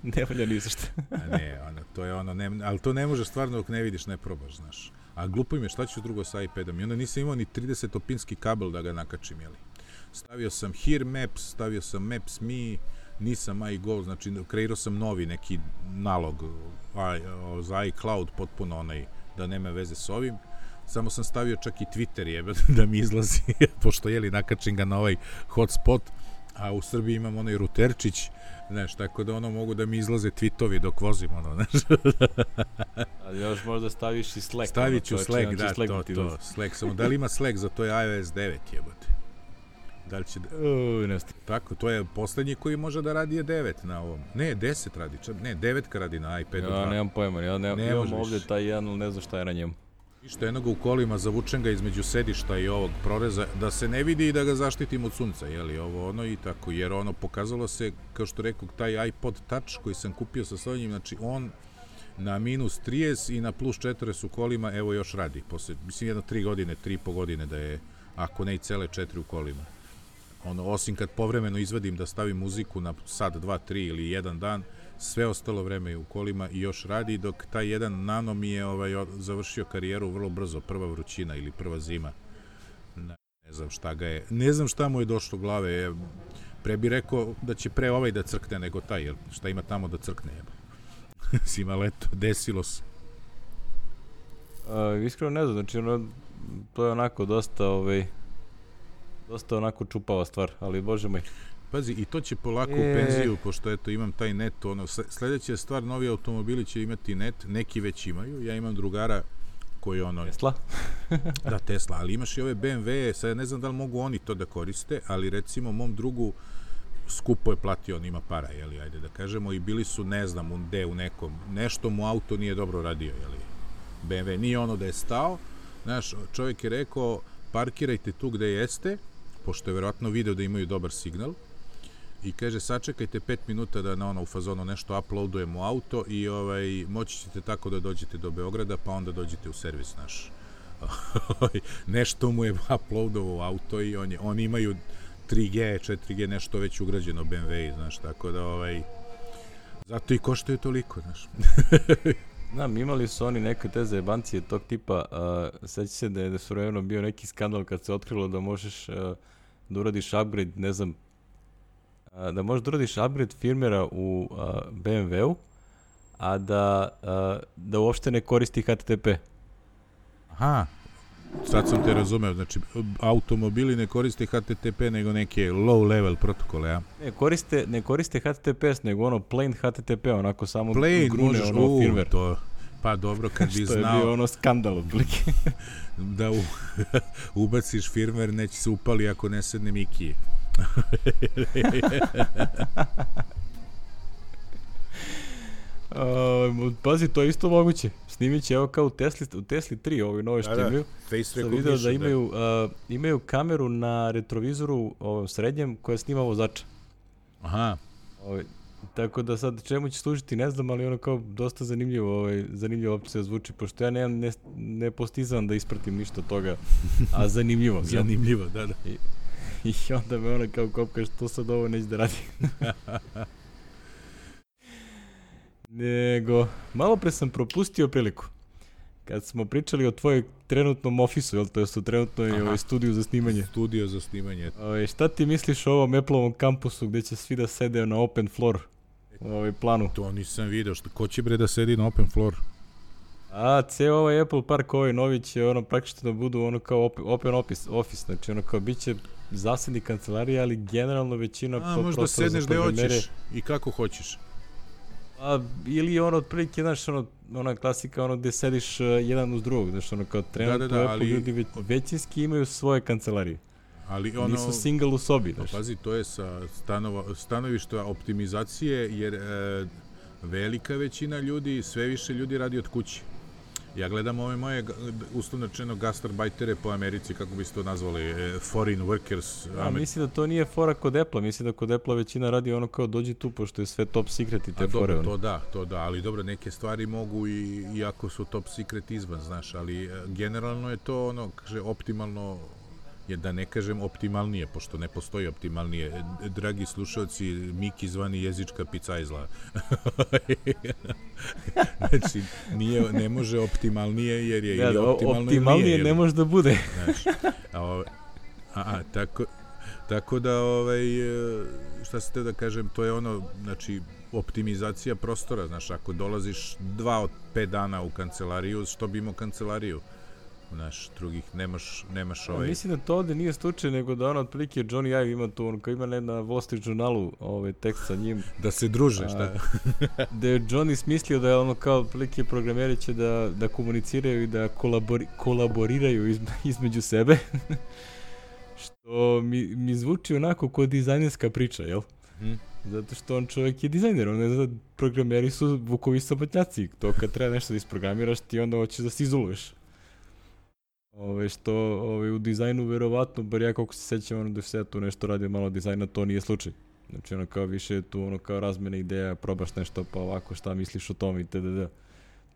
Ne valja ni zašto. Ne, ono, to je ono, ne, ali to ne možeš stvarno dok ne vidiš, ne probaš, znaš. A glupo im je, šta ću drugo sa iPadom? I onda nisam imao ni tridesetopinski kabel da ga nakačim, jeli. Stavio sam Here Maps, stavio sam Maps Me, nisam iGo, znači kreirao sam novi neki nalog za iCloud, potpuno onaj, da nema veze s ovim. Samo sam stavio čak i Twitter jebe, da mi izlazi, pošto jeli nakačim ga na ovaj hotspot, a u Srbiji imam onaj ruterčić, znaš, tako da ono mogu da mi izlaze tweetovi dok vozim, ono, znaš. Ali još možda staviš i Slack. Stavit ću Slack, da, Slack to, to, Slack, samo da li ima Slack za to je iOS devet, jebote. Da li će da... Uj, ne znam. Tako, to je poslednji koji može da radi je devet na ovom. Ne, deset radi, čak, ne, devetka radi na iPadu dva. Ja nemam pojma, ja nemam, ne imam ovdje taj jedan, ali ne znam šta je na njemu. Išto jednoga u kolima, zavučen ga između sedišta i ovog proreza, da se ne vidi i da ga zaštitim od sunca, jeli, ovo ono i tako, jer ono pokazalo se, kao što rekao, taj iPod Touch koji sam kupio sa svojim, znači on na minus trideset i na plus četrdeset u kolima, evo još radi, posle, mislim jedno tri godine, tri i po godine da je, ako ne i cele četiri u kolima. Ono, osim kad povremeno izvadim da stavim muziku na sat, dva, tri ili jedan dan, sve ostalo vreme je u kolima i još radi, dok taj jedan nano mi je ovaj, završio karijeru vrlo brzo, prva vrućina ili prva zima. Ne, ne znam šta ga je, ne znam šta mu je došlo glave, je, pre bi rekao da će pre ovaj da crkne nego taj, jer šta ima tamo da crkne, jeba. Sima leto, desilo se. A, iskreno ne znam, znači ono, to je onako dosta, ovaj, dosta onako čupava stvar, ali bože moj. Pazi, i to će polako e... u penziju, pošto eto imam taj net, ono, sledeća stvar, novi automobili će imati net, neki već imaju, ja imam drugara koji ono... Tesla? Da, Tesla, ali imaš i ove B M W, sad ne znam da li mogu oni to da koriste, ali recimo mom drugu skupo je platio, on ima para, jeli, ajde da kažemo, i bili su, ne znam, u gde, u nekom, nešto mu auto nije dobro radio, jeli, B M W, nije ono da je stao, znaš, čovjek je rekao, parkirajte tu gde jeste, pošto je verovatno video da imaju dobar signal, i kaže, sačekajte pet minuta da na ono u fazonu nešto uploadujemo auto i ovaj, moći ćete tako da dođete do Beograda, pa onda dođete u servis naš. Nešto mu je uploadovao auto i on je, oni imaju tri G, četiri G, nešto već ugrađeno B M W, znaš, tako da, ovaj, zato i koštaju toliko, znaš. Znam, imali su oni neke te zajebancije tog tipa, uh, seća se da je da su vremeno bio neki skandal kad se otkrilo da možeš uh, da uradiš upgrade, ne znam, uh, da možeš da uradiš upgrade firmera u uh, B M W-u, a da, uh, da uopšte ne koristi H T T P. Aha, sad sam te razumeo, znači automobili ne koriste H T T P nego neke low level protokole, ja? Ne, koriste, ne koriste H T T P S, nego ono plain H T T P, onako samo plain, grune možeš, ono u, firmware. To, pa dobro, kad bi znao... Što je bio ono skandal odblike. Da u, ubaciš firmware, neće se upali ako ne sedne Mikije. Uh, pazi, to je isto moguće. Snimit će, evo kao u Tesli, u Tesli tri, ovoj nove što da, imaju. Face sam video da imaju, uh, imaju kameru na retrovizoru ovom srednjem koja snima vozača. Aha. Ovaj, tako da sad čemu će služiti ne znam, ali ono kao dosta zanimljivo, ovaj, zanimljivo opcija zvuči, pošto ja nemam, ne, ne postizam da ispratim ništa toga, a zanimljivo. Zanimljivo, da, da. I, i onda me ona kao kopka, što sad ovo neće da radi. Nego, malo pre sam propustio priliku. Kad smo pričali o tvojoj trenutnom ofisu, jel to je su trenutno i ovaj studiju za snimanje. Studio za snimanje. Ove, šta ti misliš o ovom Apple-ovom kampusu gde će svi da sede na open floor u ovaj planu? To nisam vidio. Šta, ko će bre da sedi na open floor? A, ceo ovaj Apple Park, ovaj novi će ono praktično da budu ono kao open office, office, znači ono kao bit će zasebni kancelarija, ali generalno većina A, možda sedneš gde hoćeš i kako hoćeš. A, ili ono, otprilike, znaš, ono, ona klasika, ono, gde sediš uh, jedan uz drugog, znaš, ono, kao trenutno da, da, da, Apple ali, ljudi već, većinski imaju svoje kancelarije. Ali ono, nisu single u sobi, znaš. Pazi, to je sa stanova, stanovišta optimizacije, jer e, velika većina ljudi, sve više ljudi radi od kuće. Ja gledam ove moje, uslovno rečeno, gastarbajtere po Americi, kako bi se to nazvali, foreign workers. A, mislim da to nije fora kod Apple-a, mislim da kod Apple-a većina radi ono kao dođi tu, pošto je sve top secret i te A, fore. Dobro, to da, to da, ali dobro, neke stvari mogu i, iako su top secret izvan, znaš, ali generalno je to ono, kaže, optimalno, je da ne kažem optimalnije, pošto ne postoji optimalnije. Dragi slušalci, Miki zvani jezička picajzla. Znači, nije, ne može optimalnije, jer je ja, ili optimalno optimalnije ili nije. ne može da bude. Znači, a, a, a, tako, tako da, ovaj, šta se te da kažem, to je ono, znači, optimizacija prostora, znaš, ako dolaziš dva od pet dana u kancelariju, što bi imao kancelariju? Naš drugih, nemaš, nemaš ovaj... Ja, mislim da to ovde nije slučaj, nego da ono, otprilike, Johnny Ive ima tu, on kao ima ne na Wall Street Journalu ovaj tekst sa njim. Da se druže, šta? Da je Johnny smislio da je ono kao, otprilike, programeri će da, da komuniciraju i da kolabori, kolaboriraju iz, između sebe. Što mi, mi zvuči onako kao dizajnerska priča, jel? Hmm. Zato što on čovjek je dizajner, on ne zna, programeri su vukovi sabotnjaci. To kad treba nešto da isprogramiraš, ti onda hoćeš da se izoluješ. Ove, što ove, u dizajnu verovatno, bar ja koliko se sećam, ono da se tu nešto radio malo dizajna, to nije slučaj. Znači ono kao više tu ono kao razmene ideja, probaš nešto pa ovako šta misliš o tom i tdd.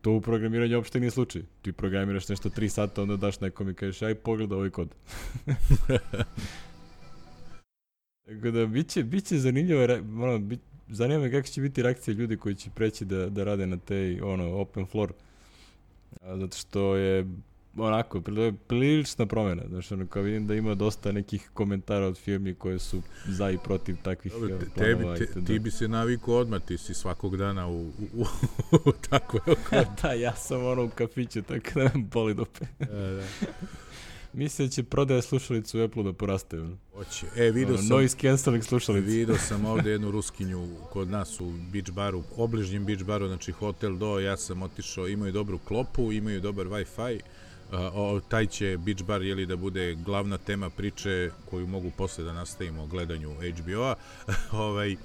To u programiranju uopšte nije slučaj. Ti programiraš nešto tri sata, onda daš nekom i kažeš aj pogledaj ovaj kod. Tako da biće, biće zanimljivo, ono, bit, zanima me kako će biti reakcija ljudi koji će preći da, da rade na tej ono, open floor. A, zato što je onako, prilična promjena. Znači, ono, kao vidim da ima dosta nekih komentara od firmi koje su za i protiv takvih Dobre, te, planova. Te, te, ti bi se navikao odmah, ti si svakog dana u, u, u, u takvoj okolo. Da, ja sam ono u kafiću, tako da me boli dupe. Da, da. Mislim da će prodaja slušalicu u Apple da poraste. Hoće. E, vidio sam... Noise cancelling slušalicu. Vidio sam ovde jednu Ruskinju kod nas u Beach baru, obližnjem Beach baru, znači Hotel Do, ja sam otišao, imaju dobru klopu, imaju dobar Wi-Fi. Uh, o, taj će Beach bar jeli da bude glavna tema priče koju mogu posle da nastavimo o gledanju H B O-a. ovaj,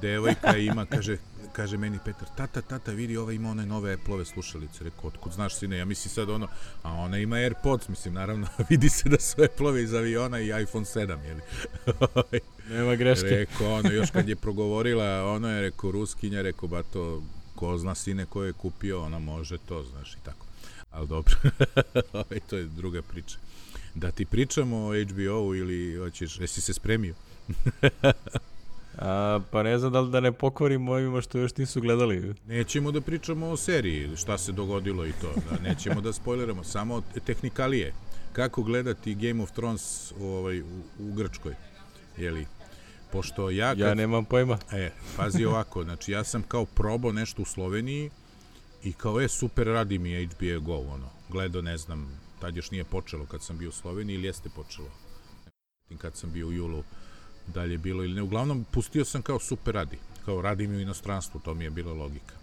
devojka ima, kaže, kaže meni Petar, tata, tata, vidi, ova ima one nove Apple-ove slušalice. Rekao, otkud znaš, sine? Ja mislim sad ono, a ona ima AirPods, mislim, naravno, vidi se da su Apple-ove iz aviona i iPhone sedam, jeli? Nema greške. Rekao, ono, još kad je progovorila, ono je rekao, Ruskinja, rekao, ba to, ko zna, sine, ko je kupio, ona može to, znaš, i tako. Ali dobro, to je druga priča. Da ti pričamo o H B O-u ili hoćeš, jesi se spremio? A, pa ne znam da li da ne pokvarimo ovima što još nisu gledali. Nećemo da pričamo o seriji, šta se dogodilo i to. Da, nećemo da spoileramo, samo tehnikalije. Kako gledati Game of Thrones u, ovaj, u, u Grčkoj? Jeli? Pošto ja... Kad, ja nemam pojma. E, pazi ovako, znači ja sam kao probao nešto u Sloveniji i kao, je, super, radi mi H B O Go, ono, gledao, ne znam, tad još nije počelo kad sam bio u Sloveniji ili jeste počelo, kad sam bio u julu, dalje bilo ili ne, uglavnom, pustio sam kao super radi, kao radi mi u inostranstvu, to mi je bila logika.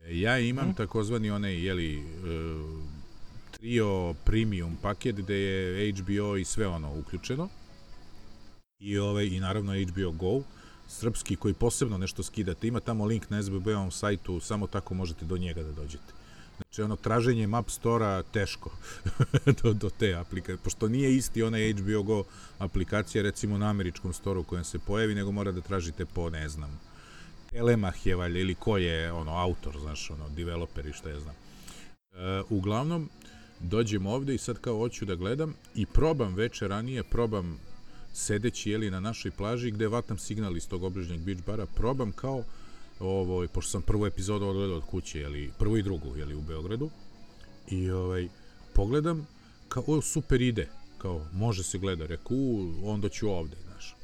E, ja imam hmm. takozvani onaj, jeli, uh, trio premium paket gde je H B O i sve ono uključeno, i, ovaj, i naravno H B O Go, srpski, koji posebno nešto skidate. Ima tamo link na S B B-ovom sajtu, samo tako možete do njega da dođete. Znači, ono, traženjem App Store-a teško do, do te aplikacije, pošto nije isti onaj H B O Go aplikacija, recimo na američkom storu u kojem se pojavi, nego mora da tražite po, ne znam, Telemach je valjda, ili ko je, ono, autor, znaš, ono, developer i šta ja znam. E, uglavnom, dođem ovde i sad kao hoću da gledam i probam veče ranije, probam sedeći, jeli, na našoj plaži gde vatam signal iz tog obližnjeg beach bara, probam kao ovo, pošto sam prvu epizodu odgledao od kuće, jeli, prvu i drugu, jeli, u Beogradu, i ovaj, pogledam, kao, o, super ide, kao, može se gleda, reku, onda ću ovde, znaš.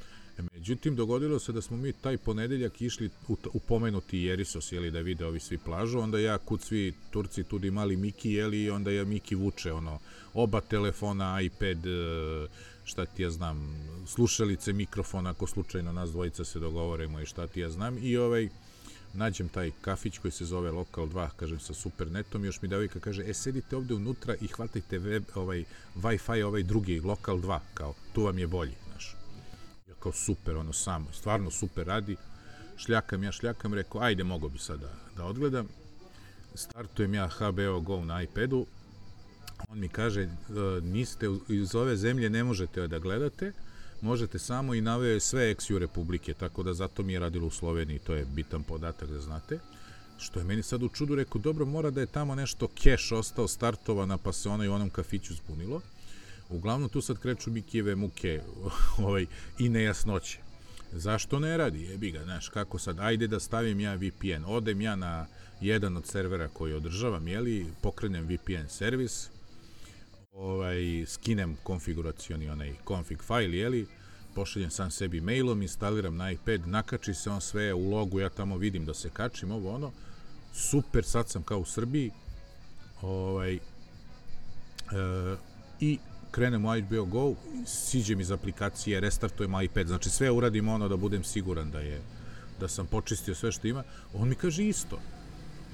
Međutim, dogodilo se da smo mi taj ponedeljak išli u, u pomenuti Jerisos, jeli, da vide ovi svi plažu, onda ja kud svi Turci tudi mali Miki, jeli, onda ja Miki vuče, ono, oba telefona, iPad, šta ti ja znam, slušalice, mikrofon, ako slučajno nas dvojica se dogovorimo i šta ti ja znam, i ovaj, nađem taj kafić koji se zove Lokal dva, kažem, sa super netom, još mi devojka kaže, e, sedite ovde unutra i hvatajte web, ovaj, Wi-Fi, ovaj drugi, Lokal dva, kao, tu vam je bolji, znaš. Ja kao super, ono, samo, stvarno super radi, šljakam, ja šljakam, rekao, ajde, mogo bi sad da, da odgledam, startujem ja H B O Go na iPadu, on mi kaže, niste, iz ove zemlje ne možete da gledate, možete samo, i naveo je sve ex-ju republike, tako da zato mi je radilo u Sloveniji, to je bitan podatak da znate. Što je meni sad u čudu, rekao, dobro, mora da je tamo nešto keš ostao startovana, pa se ono i u onom kafiću zbunilo. Uglavnom, tu sad kreću Mikijeve muke ovaj, i nejasnoće. Zašto ne radi? Jebi ga, znaš, kako sad, ajde da stavim ja V P N, odem ja na jedan od servera koji održavam, jeli, pokrenem V P N servis, ovaj, skinem konfiguracioni onaj config file, jeli, pošaljem sam sebi mailom, instaliram na iPad, nakači se on sve u logu, ja tamo vidim da se kačim, ovo ono, super, sad sam kao u Srbiji, ovaj, e, i krenem u H B O Go, siđem iz aplikacije, restartujem iPad, znači sve uradim ono da budem siguran da je, da sam počistio sve što ima, on mi kaže isto,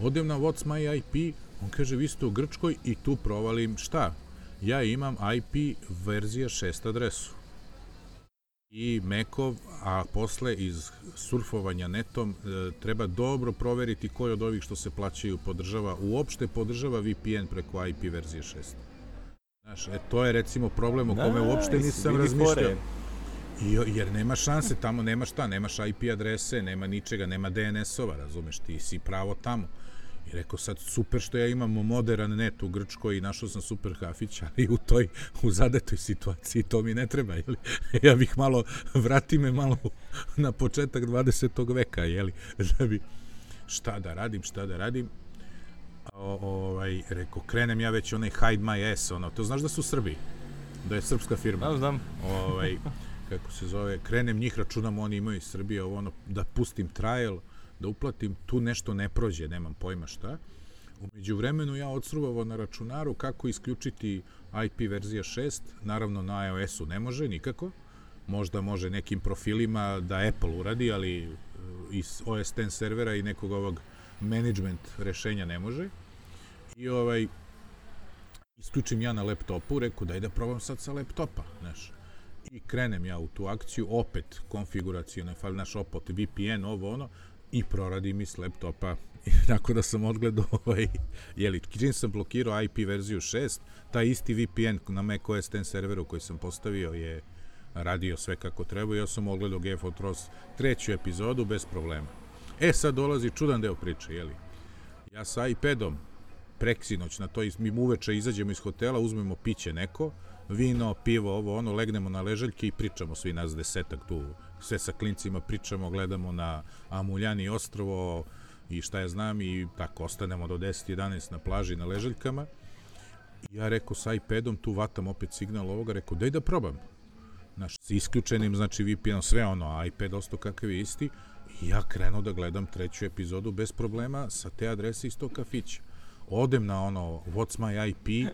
odem na What's My I P, on kaže vi ste u Grčkoj i tu provalim šta? Ja imam I P verzija šest adresu i Mekov, a posle iz surfovanja netom e, treba dobro proveriti koji od ovih što se plaćaju podržava, uopšte podržava V P N preko I P verzije šest. Znaš, e, to je recimo problem o kome uopšte nisam razmišljao. I, jer nema šanse, tamo nema šta, nemaš I P adrese, nema ničega, nema D N S-ova, razumeš, ti si pravo tamo. I rekao sad, super što ja imam modern net u Grčkoj i našao sam super kafić, ali u toj, u zadetoj situaciji to mi ne treba, jeli? Ja bih malo, vrati me malo na početak dvadesetog veka, jeli? Da bi, šta da radim, šta da radim. O, ovaj, rekao, krenem ja već onaj Hide My Ass, ono, to znaš da su Srbi? Da je srpska firma. Znam, znam. Ovaj, kako se zove, krenem njih, računam, oni imaju iz Srbije, ovo, ono, da pustim trial, da uplatim, tu nešto ne prođe, nemam pojma šta. Umeđu vremenu ja odsruvao na računaru kako isključiti I P verzija šest, naravno na iOS-u ne može nikako, možda može nekim profilima da Apple uradi, ali iz O S X servera i nekog ovog management rešenja ne može. I ovaj, isključim ja na laptopu, reku daj da probam sad sa laptopa, znaš. I krenem ja u tu akciju, opet konfiguracijone file, naš opet V P N, ovo ono, i proradi mi s laptopa. I nakon da sam odgledao, ovaj, jeli, čim sam blokirao I P verziju šest, taj isti V P N na Mac O S X serveru koji sam postavio je radio sve kako treba i ja sam odgledao Game of Thrones treću epizodu bez problema. E, sad dolazi čudan deo priče, jeli. Ja sa iPadom preksinoć na to, mi uveče izađemo iz hotela, uzmemo piće neko, vino, pivo, ovo, ono, legnemo na ležaljke i pričamo svi nas desetak tu, sve sa klincima pričamo, gledamo na Amuljani ostrvo i šta ja znam i tako, ostanemo do deset jedanaest na plaži na ležaljkama. I ja rekao sa iPadom, tu vatam opet signal ovoga, rekao daj da probam. Znaš, s isključenim, znači V P N, sve ono, iPad ostao kakav je isti, i ja krenuo da gledam treću epizodu bez problema sa te adrese iz tog kafića. Odem na ono, What's My I P,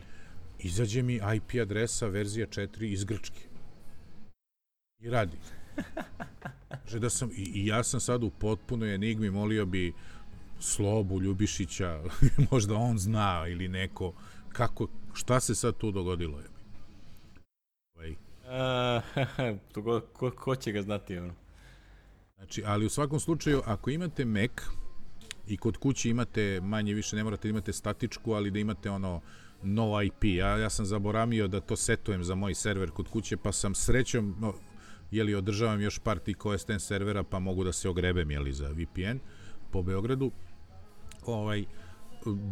izađe mi I P adresa verzija četiri iz Grčke. I radi. Že da sam, i, i ja sam sad u potpunoj enigmi, molio bi Slobu Ljubišića, možda on zna ili neko, kako, šta se sad tu dogodilo je? Ovaj. Uh, ko, ko će ga znati, ono? Znači, ali u svakom slučaju, ako imate Mac i kod kuće imate, manje više, ne morate da imate statičku, ali da imate ono no I P. Ja, ja sam zaboravio da to setujem za moj server kod kuće, pa sam srećom, no, jeli, održavam još par tih O S X servera, pa mogu da se ogrebem, jeli, za V P N po Beogradu. Ovaj,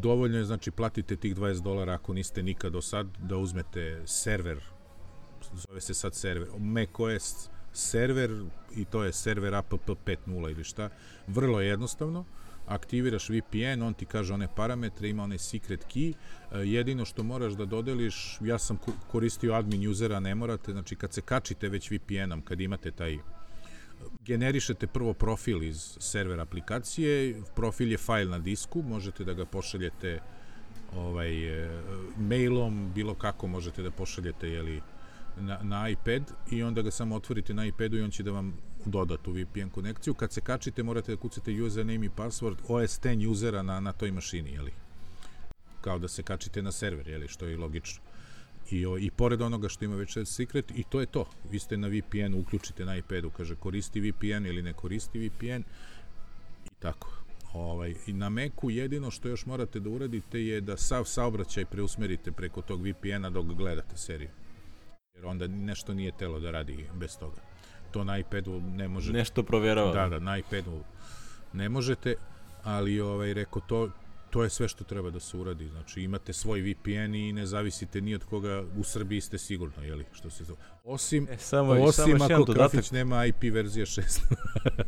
dovoljno je, znači, platite tih dvadeset dolara ako niste nikad do sad, da uzmete server, zove se sad server, macOS server, i to je server app pet nula ili šta, vrlo jednostavno, aktiviraš V P N, on ti kaže one parametre, ima onaj secret key, jedino što moraš da dodeliš, ja sam koristio admin usera, ne morate, znači kad se kačite već V P N-om, kad imate taj generišete prvo profil iz server aplikacije, profil je fajl na disku, možete da ga pošaljete ovaj, mailom, bilo kako možete da pošaljete jeli, na, na iPad i onda ga samo otvorite na iPadu i on će da vam doda tu V P N konekciju. Kad se kačite morate da kucate username i password O S deset usera na, na toj mašini, jeli? Kao da se kačite na server, jeli? Što je logično. I, o, I pored onoga što ima već secret, i to je to. Vi ste na V P N, uključite na iPadu, kaže koristi V P N ili ne koristi V P N i tako. Ovaj, i na Macu jedino što još morate da uradite je da sav saobraćaj preusmerite preko tog V P N-a dok gledate seriju. Jer onda nešto nije telo da radi bez toga. To na iPadu ne možete. Nešto provjerava. Da, da, na iPadu ne možete, ali ovaj, reko, to, to je sve što treba da se uradi. Znači, imate svoj V P N i ne zavisite ni od koga, u Srbiji ste sigurno, jeli, što se zove. Osim, e, samo, osim samo ako Krafić nema I P verzija šest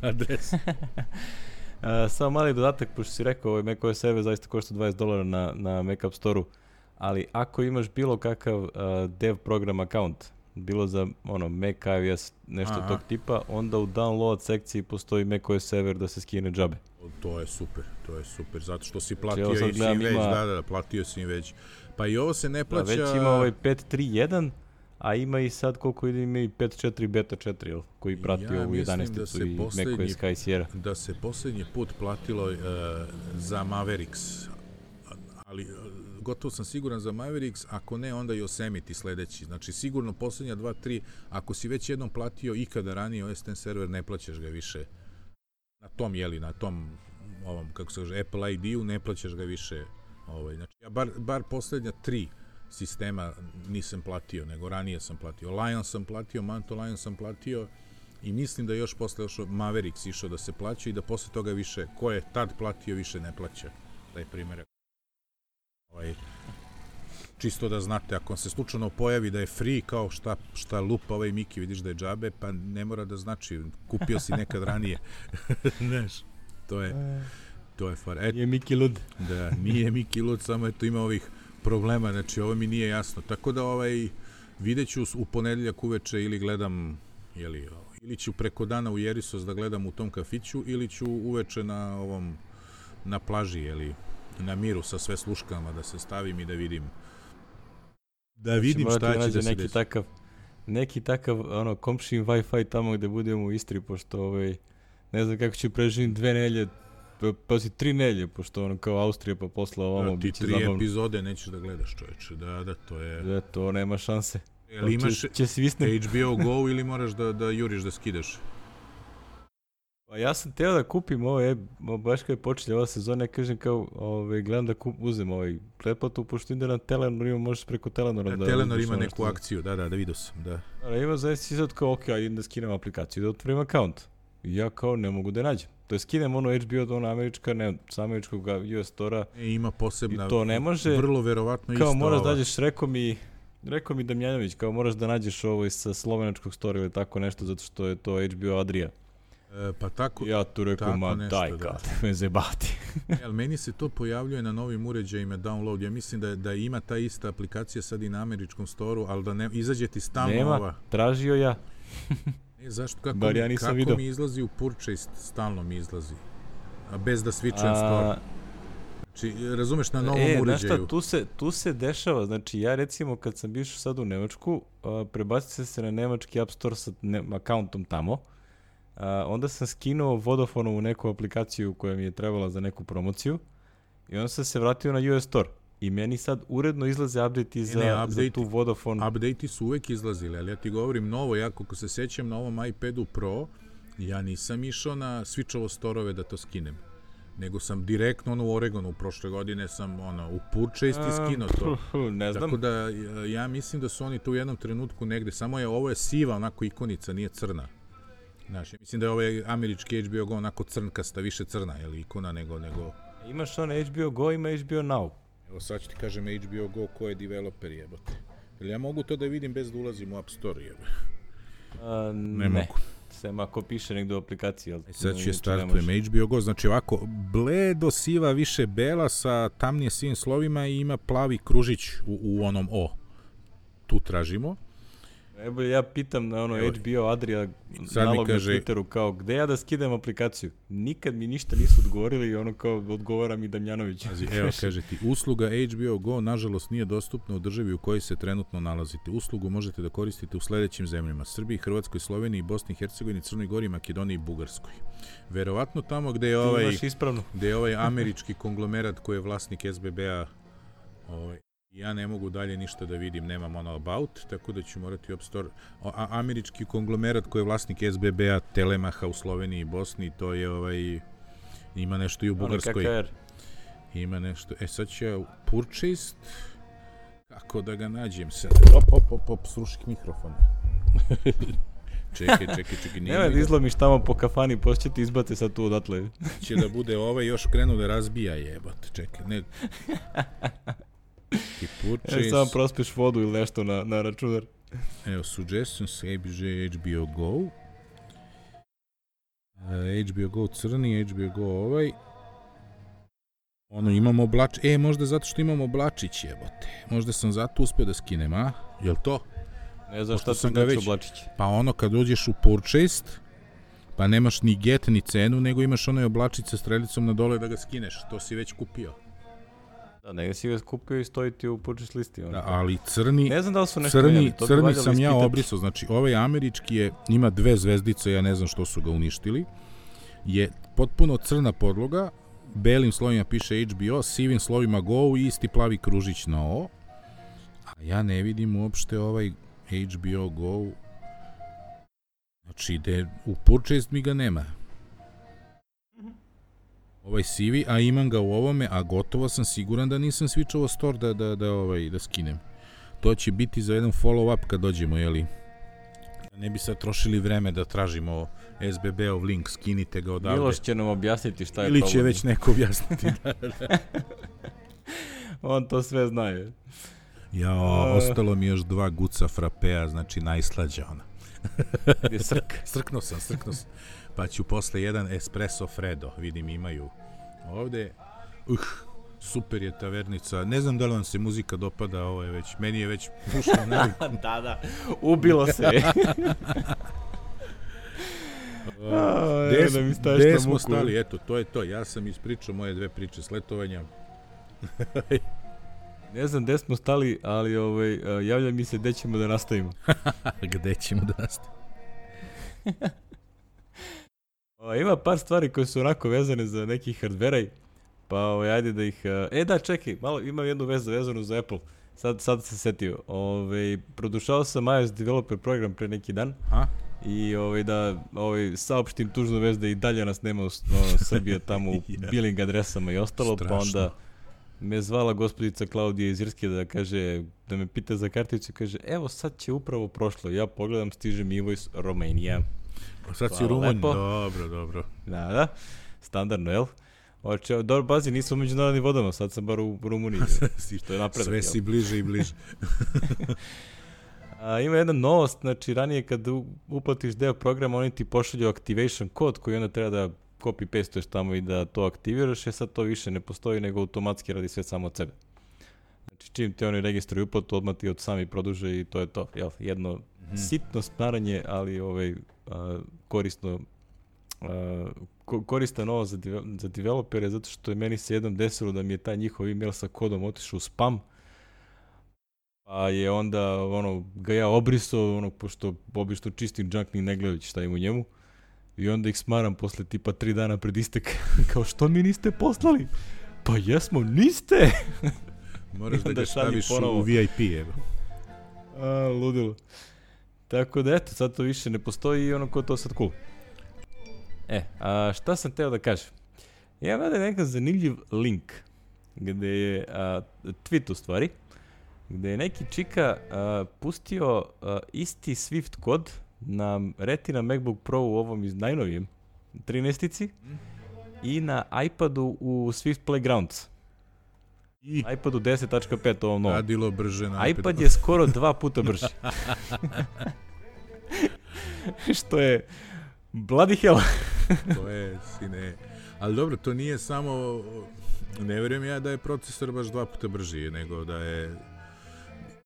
adresu. Uh, samo mali dodatak, pošto si rekao, ovaj macOS server zaista košta dvadeset dolara na, na Mac App Store-u, ali ako imaš bilo kakav uh, dev program account, bilo za ono, Mac, iOS, nešto Aha. tog tipa, onda u download sekciji postoji macOS server da se skine džabe. To je super, to je super, zato što si platio znači, i si im već, ima... da, da, platio si im već. Pa i ovo se ne plaća... Da, već ima ovaj pet tri jedan, a ima i sad koliko ide, ima i pet četiri beta četiri, jel, koji prati ja ovu jedanaesticu i macOS Sky Sierra. Da se posljednji put platilo uh, za Mavericks, ali uh, gotovo sam siguran za Mavericks, ako ne, onda i Yosemite sledeći. Znači, sigurno posljednja dva tri, ako si već jednom platio ikada ranije O S deset server, ne plaćaš ga više. Na tom, jeli, na tom, ovom, kako se kaže, Apple I D-u, ne plaćaš ga više. Ovaj, znači, ja bar, bar posljednja tri sistema nisam platio, nego ranije sam platio. Lion sam platio, Mantle Lion sam platio i mislim da još posle još Mavericks išao da se plaća i da posle toga više, ko je tad platio, više ne plaća. Taj primjer. Ovaj, čisto da znate, ako se slučajno pojavi da je free, kao šta, šta lupa ovaj Miki, vidiš da je džabe, pa ne mora da znači, kupio si nekad ranije. Znaš, to je, to je far. Et, nije Miki lud. Da, nije Miki lud, samo eto ima ovih problema, znači ovo mi nije jasno. Tako da ovaj, vidjet ću u ponedeljak uveče ili gledam, jeli, ili ću preko dana u Jerisos da gledam u tom kafiću, ili ću uveče na ovom, na plaži, jeli, na miru sa sve sluškama da se stavim i da vidim da vidim šta će da se neki desi. Takav, neki takav ono, komšin Wi-Fi tamo gde budemo u Istri, pošto ovaj, ne znam kako ću preživim dve nelje, pa si tri nelje, pošto ono kao Austrija pa posle ovamo da, biće zabavno. Ti tri zabavno. Epizode nećeš da gledaš, čoveče, da, da, to je... Da, to nema šanse. Jel imaš će, će H B O Go ili moraš da, da juriš da skidaš? Pa ja sam teo da kupim ovo, baš kad je počela ova sezona, ja kažem kao, ovaj, gledam da kup, uzem ovaj pretplatu, pošto ide na Telenor, ima, možeš preko Telenora da... da Telenor ima neku što... akciju, da, da, da vidio sam, da. Da, ima zaista sad kao, ok, ajde da skinem aplikaciju, da otvorim account. I ja kao ne mogu da nađem. To je skinem ono H B O, ono američka, ne, sa američkog U S Store-a. E, ima posebna, i to ne može, vrlo verovatno isto. Kao moraš da nađeš, rekao mi, rekao mi Damjanović, kao moraš da nađeš ovo sa slovenačkog Store ili tako nešto, zato što je to H B O Adria. E, pa tako, ja tu rekao, ma nešto, daj kad me zebati. Ali meni se to pojavljuje na novim uređajima download. Ja mislim da, da ima ta ista aplikacija sad i na američkom storu, ali da ne, izađe ti stalno nema, ova. Tražio ja. E, zašto? Kako, mi, ja kako video. mi izlazi u Purchase, stalno mi izlazi. A bez da switchujem store. Znači, razumeš, na novom e, uređaju. Znaš šta, tu se, tu se dešava, znači ja recimo kad sam bio sad u Nemačku, uh, prebacite se na nemački App Store sa ne, accountom tamo, uh, onda sam skinuo Vodafonovu neku aplikaciju koja mi je trebala za neku promociju i onda sam se vratio na U S Store. I meni sad uredno izlaze update-i za, ne, update, za tu Vodafone. Update-i su uvek izlazili, ali ja ti govorim novo, ja kako se sećam na ovom iPadu Pro, ja nisam išao na switchovo storove da to skinem, nego sam direktno ono, u Oregonu prošle godine sam ono, u Purchase i skinuo to. Ne znam. Tako da ja mislim da su oni tu u jednom trenutku negde, samo je ovo je siva onako ikonica, nije crna. Znaš, ja mislim da je ovaj američki H B O Go onako crnkasta, više crna je li ikona nego... nego... Imaš ono H B O Go, ima H B O Now. Evo sad ću ti kažem H B O Go ko je developer jebote. Jel ja mogu to da vidim bez da ulazim u App Store jebote? A, ne, ne mogu. Sem ako piše negdje u aplikaciji. Ali e sad ću je startujem H B O Go, znači ovako, bledo siva više bela sa tamnije sivim slovima i ima plavi kružić u, u onom O. Tu tražimo. Najbolje ja pitam na ono Evo, H B O Adria sad mi nalog kaže- na Twitteru kao gde ja da skidam aplikaciju. Nikad mi ništa nisu odgovorili i ono kao odgovara mi Damjanović. Pazi, evo, kaže ti, usluga H B O Go nažalost nije dostupna u državi u kojoj se trenutno nalazite. Uslugu možete da koristite u sledećim zemljama: Srbiji, Hrvatskoj, Sloveniji, Bosni i Hercegovini, Crnoj Gori, Makedoniji i Bugarskoj. Verovatno tamo gde je Ti ovaj, imaš ispravno. gde je ovaj američki konglomerat koji je vlasnik S B B-a, ovaj, ja ne mogu dalje ništa da vidim, nemam ono about, tako da ću morati u App Store. A, američki konglomerat koji je vlasnik S B B-a, Telemaha u Sloveniji i Bosni, to je ovaj, ima nešto i u Bugarskoj. Ono K K R. Ima nešto. E sad ću ja purchased. Kako da ga nađem sad? Op, op, op, op, srušik mikrofon. čekaj, čekaj, čekaj. Nije Nema mi da ga- izlomiš tamo po kafani, poslije će ti izbate sad tu odatle. će da bude ovaj još krenu da razbija jebate. Čekaj, ne. I E, purchase. samo prospeš vodu ili nešto na, na računar. Evo, suggestions, H B O Go. Uh, H B O Go crni, H B O Go ovaj. Ono, imamo oblač... E, možda zato što imamo oblačić, jebote. Možda sam zato uspio da skinem, a? Jel to? Ne znam Pošto šta sam sam ga ga već- već... Oblačić. Pa ono, kad dođeš u purchased, pa nemaš ni get ni cenu, nego imaš onaj oblačić sa strelicom na dole da ga skineš. To si već kupio. Da, negdje si ga skupio i stoji ti u purchase listi. Ono. Da, ali crni... Ne znam da li su nešto Crni, menjali, to bi crni valjalo sam ja ispitati. obrisao, znači ovaj američki je, ima dve zvezdice, ja ne znam što su ga uništili, je potpuno crna podloga, belim slovima piše H B O, sivim slovima Go i isti plavi kružić na O, a ja ne vidim uopšte ovaj H B O Go, znači de, u purchase mi ga nema. Ovaj sivi, a imam ga u ovome, a gotovo sam siguran da nisam switchovao store da, da, da, ovaj, da skinem. To će biti za jedan follow-up kad dođemo, jeli? Ne bi sad trošili vreme da tražimo S B B-ov link, skinite ga odavde. Miloš će nam objasniti šta je Ili problem. će već neko objasniti. da, da. On to sve zna je. Jao, Uh. ostalo mi još dva guca frapea, znači najslađa ona. Gdje srk. Srknuo sam, srknuo sam. Pa ću posle jedan espresso Fredo, vidim imaju ovde. Uh, super je tavernica. Ne znam da li vam se muzika dopada, ovo je već, meni je već pušao navik. Da, da. Ubilo se. A, Gde evo smo, da mi staviš gde na smo muku. stali? Eto, to je to. Ja sam ispričao moje dve priče sletovanja. Ne znam gde smo stali, ali ovaj, uh, javlja mi se gde ćemo da nastavimo. Gde ćemo da nastavimo? O, ima par stvari koje su onako vezane za neki hardveraj, pa ovaj, ajde da ih... Uh, e da, čekaj, malo imam jednu vezu vezanu za Apple. Sad, sad se setio. Ovaj, produšao sam iOS developer program pre neki dan. A? I ovaj, da ovaj, saopštim tužnu vez da i dalje nas nema u no, Srbije tamo u Ja. billing adresama i ostalo, pa Strašno. onda me zvala gospodica Klaudija iz Irske da kaže, da me pita za karticu i kaže, evo sad će upravo prošlo. Ja pogledam, stiže mi invoice Romania. Pa sad si Hvala Rumunj. lepo. Dobro, dobro. Da, da, standardno, jel? Oče, dobro, bazi, nisam u međunarodnim vodama, sad sam bar u Rumuniji, što je napredak. Sve jel? si bliže i bliže. A, ima jedna novost, znači ranije kad u- uplatiš deo programa, oni ti pošalju activation kod koji onda treba da copy-pastuješ tamo i da to aktiviraš, e sad to više ne postoji, nego automatski radi sve samo od sebe. Znači čim ti oni registruju uplatu, odmah ti od sami produže i to je to. Jel? Jedno Mhm. sitno smaranje, ali ovaj, a, korisno a, ko, koristan ovo za, deve, za developere, zato što je meni se jednom desilo da mi je taj njihov email sa kodom otišao u spam, pa je onda ono, ga ja obrisao, ono, pošto obično čistim junk ni ne gledajući šta ima u njemu. I onda ih smaram posle tipa tri dana pred istek. Kao, što mi niste poslali? Pa jesmo, niste! Moraš I da onda ga šalji staviš ponovo. u V I P, evo. A, ludilo. Tako da eto, sad to više ne postoji i ono ko to sad cool. E, a šta sam teo da kažem? Ja vada nekakav zanimljiv link, gde je a, tweet u stvari, gde je neki čika a, pustio a, isti Swift kod na Retina MacBook Pro u ovom iz najnovijem trinaestici i na iPadu u Swift Playgrounds. I iPadu deset tačka pet ovom novom. radilo brže na iPad je skoro dva puta brži. Što je bloody hell. To je, sine. Ali dobro, to nije samo, ne vjerujem ja da je procesor baš dva puta brži, nego da je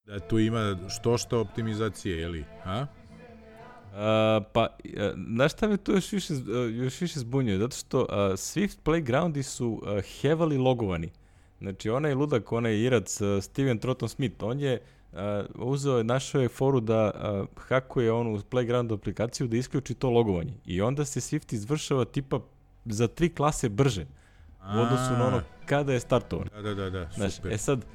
Da tu ima što što optimizacije, je li? A? Uh, pa, uh, znaš šta me tu još više, uh, još više zbunjuje? Zato što uh, Swift Playgroundi su uh, heavily logovani. Znači, onaj ludak, onaj irac, uh, Steven Trotton Smith, on je uh, uzeo, našao je foru da uh, hakuje onu Playground aplikaciju da isključi to logovanje. I onda se Swift izvršava tipa za tri klase brže u odnosu na ono kada je startovan. Da, da, da, da, super. Znaš, e sad,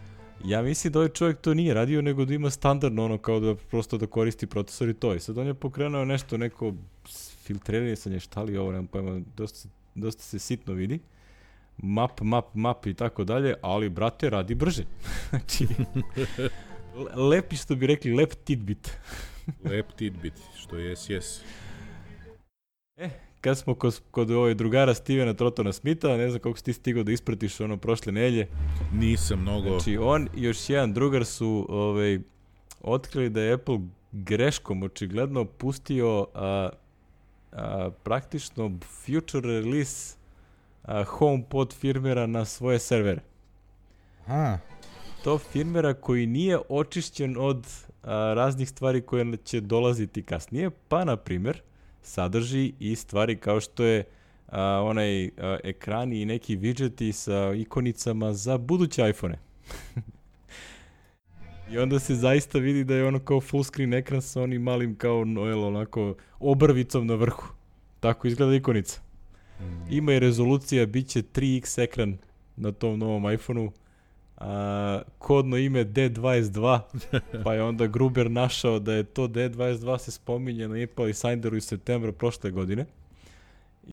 ja mislim da ovaj čovjek to nije radio, nego da ima standardno ono kao da prosto da koristi procesor i to. I sad on je pokrenuo nešto, neko filtriranje sa šta li ovo, nemam pojma, dosta, dosta se sitno vidi. Map, map, map i tako dalje, ali brate radi brže. Znači, lepi što bi rekli, lep tidbit. Lep tidbit, što jes, jes. E, kad smo kod, kod ovaj drugara Stevena Trottona Smitha, ne znam kako si ti stigao da ispratiš ono prošle nelje. Nisam mnogo. Znači, on i još jedan drugar su ovaj, otkrili da je Apple greškom očigledno pustio a, a, praktično future release a, HomePod firmera na svoje servere. Aha. To firmera koji nije očišćen od a, raznih stvari koje će dolaziti kasnije, pa na primjer sadrži i stvari kao što je a, onaj a, ekrani i neki widgeti sa ikonicama za buduće iPhone-e. I onda se zaista vidi da je ono kao full screen ekran sa onim malim kao Noel onako obrvicom na vrhu. Tako izgleda ikonica. Ima i rezolucija, bit će tri iks ekran na tom novom iPhone-u. A, kodno ime D dvadeset dva, pa je onda Gruber našao da je to D dvadeset dva se spominje na Apple Insideru iz septembra prošle godine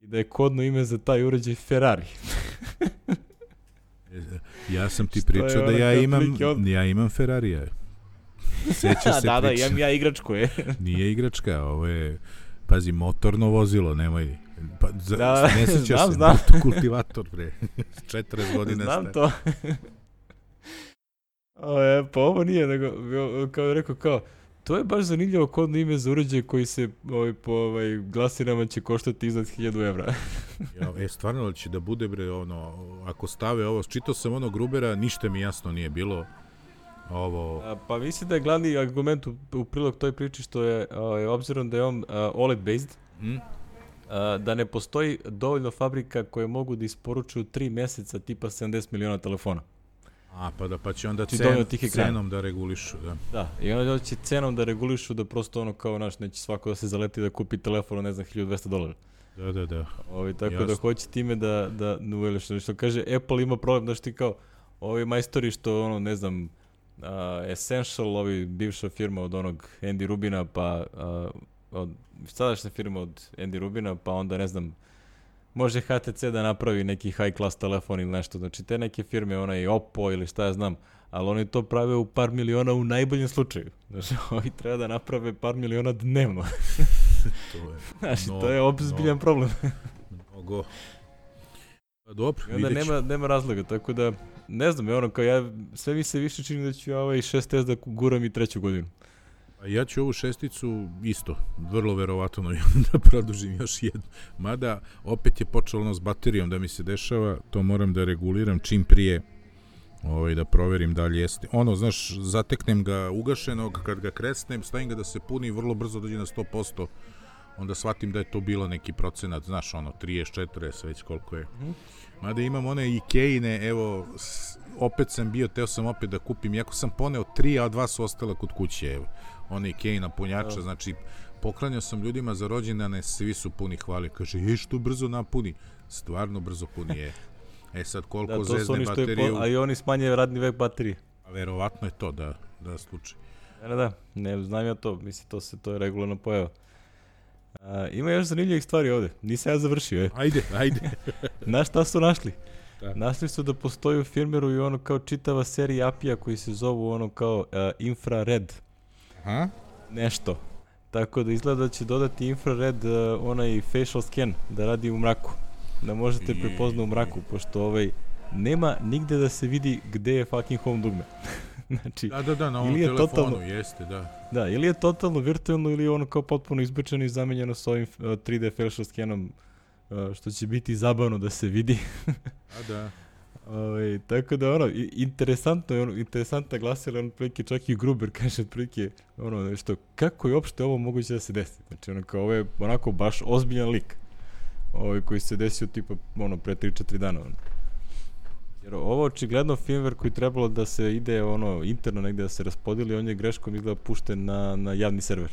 i da je kodno ime za taj uređaj Ferrari. Ja sam ti pričao da ja imam, od... ja imam Ferrarija. Sećaš se da, priča? Da, imam ja igračku, je. Nije igračka, ovo je, pazi, motorno vozilo, nemoj. Pa, za, da, ne sećaš znam, se, znam. Kultivator, bre. četrdeset godina znam star. to. O, je, pa ovo nije, nego, kao je rekao, kao, to je baš zanimljivo kodno ime za uređaj koji se ovaj, po ovaj, glasinama će koštati iznad hiljadu evra. Ja, e, stvarno li će da bude, bre, ono, ako stave ovo, čitao sam ono Grubera, ništa mi jasno nije bilo. Ovo... A, pa mislim da je glavni argument u, u prilog toj priči što je, ovaj, obzirom da je on uh, O L E D based, hmm? uh, da ne postoji dovoljno fabrika koje mogu da isporučuju tri meseca tipa sedamdeset miliona telefona. A, pa da, pa će onda cen, cenom da regulišu, da. Da, i onda će cenom da regulišu da prosto ono kao, naš, neće svako da se zaleti da kupi telefon, ne znam, hiljadu dvesta dolara. Da, da, da. Ovi, tako Jasno. da hoće time da, da, da što, što kaže, Apple ima problem, znaš ti kao, ovi majstori što, ono, ne znam, uh, Essential, ovi bivša firma od onog Andy Rubina, pa uh, od sadašnja firma od Andy Rubina, pa onda, ne znam, može H T C da napravi neki high class telefon ili nešto, znači te neke firme, onaj Oppo ili šta ja znam, ali oni to prave u par miliona u najboljem slučaju. Znači, ovi treba da naprave par miliona dnevno. To je, znači, no, to je ozbiljan no, problem. Mnogo. Pa dobro, I onda nema, nema razloga, tako da, ne znam, je ono, kao ja, sve mi se više čini da ću ja ovaj šest S da guram i treću godinu. A ja ću ovu šesticu isto, vrlo verovatno da produžim još jednu. Mada, opet je počelo ono s baterijom da mi se dešava, to moram da reguliram čim prije, ovaj, da proverim da li jeste. Ono, znaš, zateknem ga ugašenog, kad ga kresnem, stavim ga da se puni, vrlo brzo dođe na sto posto, onda shvatim da je to bilo neki procenat, znaš, ono, trideset, četrdeset, već koliko je. Mada imam one Ikeine, evo, opet sam bio, teo sam opet da kupim, iako sam poneo tri, a dva su ostala kod kuće, evo. One Ikeina punjača, oh. Znači, poklanjao sam ljudima za rođendane, svi su puni hvali, kaže, je što brzo napuni, stvarno brzo puni je. E sad, koliko da, zezne bateriju... Po, a i oni smanjaju radni vek baterije. A verovatno je to, da, da slučaj. Da, da, ne znam ja to, mislim, to se, to je regularno pojava. A, ima još zanimljivih stvari ovde, nisam ja završio, je. Ajde, ajde. Znaš šta su našli? Da. Našli su da postoji u firmeru i ono kao čitava serija apija koji se zovu ono kao uh, infrared. Aha. Nešto. Tako da izgleda da će dodati infrared uh, onaj facial scan da radi u mraku. Da možete prepoznati u mraku, pošto ovaj nema nigde da se vidi gde je fucking home dugme. Znači, da, da, da, na ovom telefonu totalno, jeste, da. Da, ili je totalno virtualno ili je ono kao potpuno izbačeno i zamenjeno s ovim uh, tri D facial scanom, uh, što će biti zabavno da se vidi. A da. Ove, tako da ono, interesantno je ono, interesantna glasila, ono, prilike, čak i Gruber kaže otprilike, ono, nešto, kako je uopšte ovo moguće da se desi? Znači, ono, kao, ovo je onako baš ozbiljan lik, ovaj, koji se desio, tipa, ono, pre tri četiri dana, ono. Jer ovo očigledno firmware koji trebalo da se ide, ono, interno negde da se raspodili, on je greškom izgleda pušten na, na javni server.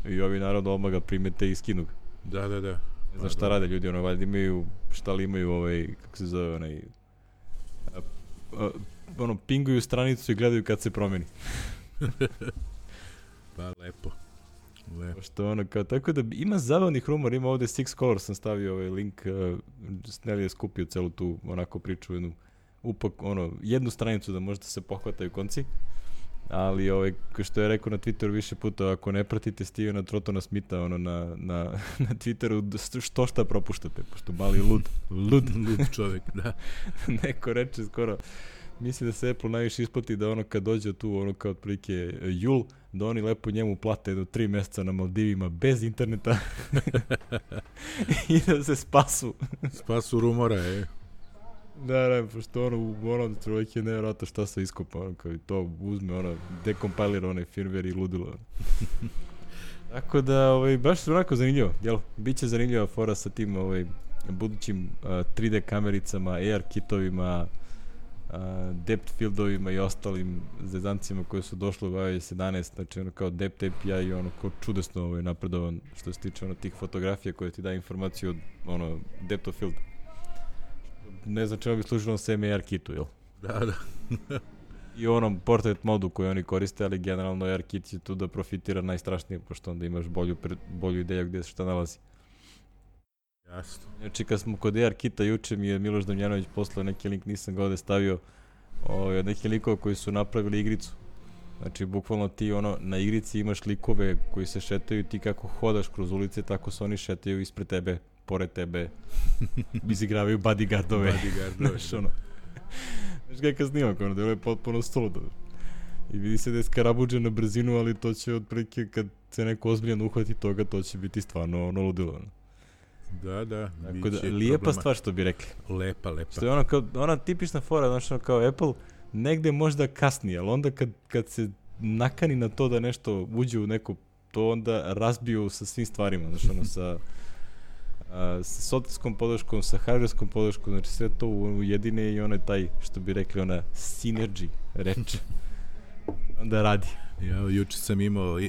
I ovi, naravno, odmah ga primete i skinu ga. Da, da, da. Ne znam šta rade ljudi, ono, valjda imaju, šta li imaju, ovaj, kako se zove, onaj, a, a, ono, pinguju stranicu i gledaju kad se promeni. Pa, lepo. Lepo. Što ono, kao, tako da ima zabavnih rumora, ima ovde Six Colors, sam stavio ovaj link, uh, Snelli je skupio celu tu, onako, priču, jednu, upak, ono, jednu stranicu da možete se pohvataju konci. Ali, ovaj, što je rekao na Twitteru više puta, ako ne pratite Stevena Trotona Smitha, ono, na, na, na Twitteru, što šta propuštate, pošto mali lud, lud, lud čovjek, da. Neko reče skoro, misli da se Apple najviše isplati da ono kad dođe tu, ono kao otprilike jul, da oni lepo njemu plate do tri mjeseca na Maldivima bez interneta i da se spasu. Spasu rumora, je. Da, da, pošto ono, ono, čovjek je nevjerojatno šta se iskopa, ono, kao i to uzme, ono, dekompilira onaj firmware i ludilo. Tako da, ovaj, baš su onako zanimljivo, jel? Biće zanimljiva fora sa tim, ovaj, budućim uh, tri D kamericama, A R kitovima, uh, depth fieldovima i ostalim zezancima koje su došle u iOS sedanaest, znači ono kao depth A P I i ono kao čudesno ovaj, napredovan što se tiče ono tih fotografija koje ti daje informaciju od ono depth of field. Ne znam čemu bi služilo sa A R kitu, jel? Da, da. I onom portrait modu koji oni koriste, ali generalno A R kit je tu da profitira najstrašnije, pošto onda imaš bolju, bolju ideju gdje se šta nalazi. Jasno. Znači kad smo kod A R kita, juče mi je Miloš Damjanović poslao neki link, nisam ga ovde stavio, od nekih likova koji su napravili igricu. Znači bukvalno ti ono, na igrici imaš likove koji se šetaju, ti kako hodaš kroz ulice, tako se oni šetaju ispred tebe, pored tebe, izigravaju bodyguardove. Bodyguardove. Znaš ono, znaš kakav snimak, ono, delo je potpuno suludo. I vidi se da je skarabuđe na brzinu, ali to će otprilike kad se neko ozbiljan uhvati toga, to će biti stvarno ono ludilo. Ono. Da, da. Tako da, lijepa problema. Stvar što bi rekli. Lepa, lepa. Što je ono kao, ona tipična fora, znači ono kao Apple, negde možda kasnije, ali onda kad, kad se nakani na to da nešto uđe u neko, to onda razbiju sa svim stvarima, znači ono sa, a, sa softwareskom podrškom, sa hardwareskom podrškom, znači sve to ujedine i ono je taj, što bi rekli, ona synergy reč. Onda radi. Ja, juče sam imao,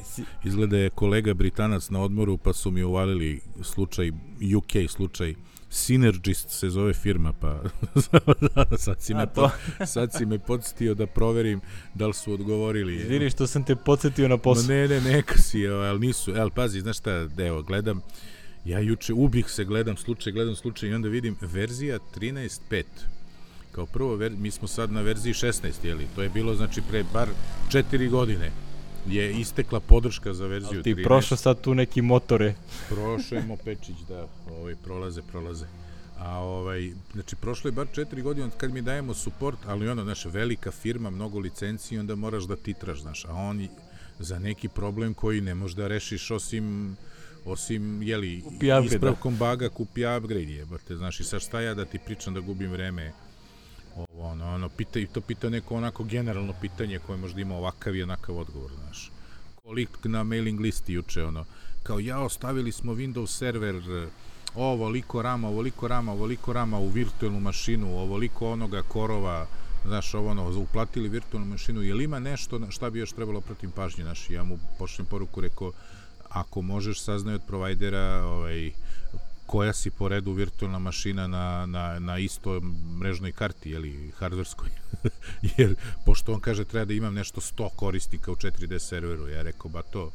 izgleda je kolega Britanac na odmoru, pa su mi uvalili slučaj, U K slučaj, Synergist se zove firma, pa sad, si me pod, sad si me podsjetio da proverim da li su odgovorili. Izvini što sam te podsjetio na posao. No, ne, ne, neka si, ali nisu, ali pazi, znaš šta, evo, gledam, ja juče ubih se, gledam slučaj, gledam slučaj i onda vidim verzija trinaest pet. Kao prvo, ver, mi smo sad na verziji šesnaest, jeli? To je bilo, znači, pre bar četiri godine je istekla podrška za verziju ali ti trinaest. Prošao sad tu neki motore. Prošao je Mopečić, da, ovaj, prolaze, prolaze. A ovaj, znači, prošlo je bar četiri godine kad mi dajemo support, ali ono, znaš, velika firma, mnogo licenciji, onda moraš da titraš, znaš, a oni za neki problem koji ne možeš da rešiš osim osim, jeli, ispravkom baga kupi upgrade, jebate, znaš, i sad šta ja da ti pričam da gubim vreme. Ovo, ono, ono, pita, to pita neko onako generalno pitanje koje možda ima ovakav i onakav odgovor, znaš. Koliko na mailing listi juče, ono, kao ja ostavili smo Windows server, ovoliko rama, ovoliko rama, ovoliko rama u virtualnu mašinu, ovoliko onoga korova, znaš, ovo, ono, uplatili virtualnu mašinu, je li ima nešto šta bi još trebalo protiv pažnje, znaš, ja mu pošljem poruku, rekao, ako možeš saznaj od provajdera, ovaj, koja si po redu virtualna mašina na, na, na istoj mrežnoj karti, jeli, hardverskoj. Jer, pošto on kaže, treba da imam nešto sto korisnika u četiri D serveru, ja rekao, ba to,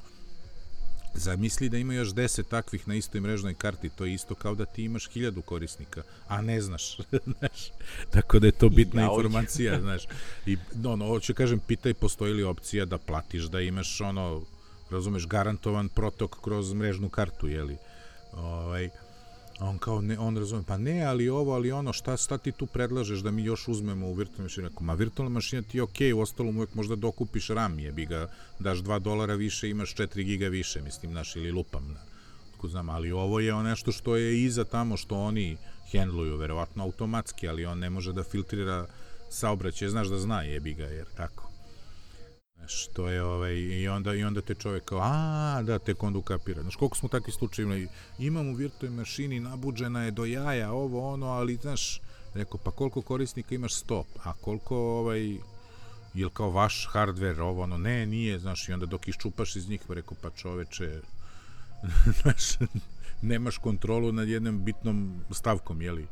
zamisli da ima još deset takvih na istoj mrežnoj karti, to je isto kao da ti imaš hiljadu korisnika, a ne znaš, znaš. Tako da je to bitna ja, informacija, znaš. I, ono, hoću kažem, pitaj postoji li opcija da platiš, da imaš, ono, razumeš, garantovan protok kroz mrežnu kartu, jeli. Ovaj, on kao, ne, on razume, pa ne, ali ovo, ali ono, šta, šta ti tu predlažeš da mi još uzmemo u virtualnu mašinu? Ma virtualna mašina ti je okej, u ostalom uvek možda dokupiš RAM, jebi ga, daš dva dolara više, imaš četiri giga više, mislim, naš, ili lupam, na, znam, ali ovo je nešto što je iza tamo, što oni hendluju, verovatno automatski, ali on ne može da filtrira saobraćaj, znaš da zna, jebi ga, jer tako. Znaš, to je, ovaj, i onda, i onda te čovjek kao, a, da, tek onda ukapira. Znaš, koliko smo takvi slučajima, imam u virtualnoj mašini, nabuđena je do jaja, ovo, ono, ali, znaš, rekao, pa koliko korisnika imaš? Sto, a koliko, ovaj, jel kao vaš hardware, ovo, ono, ne, nije, znaš, i onda dok iščupaš iz njih, rekao, pa čoveče, znaš, nemaš kontrolu nad jednom bitnom stavkom, jeli?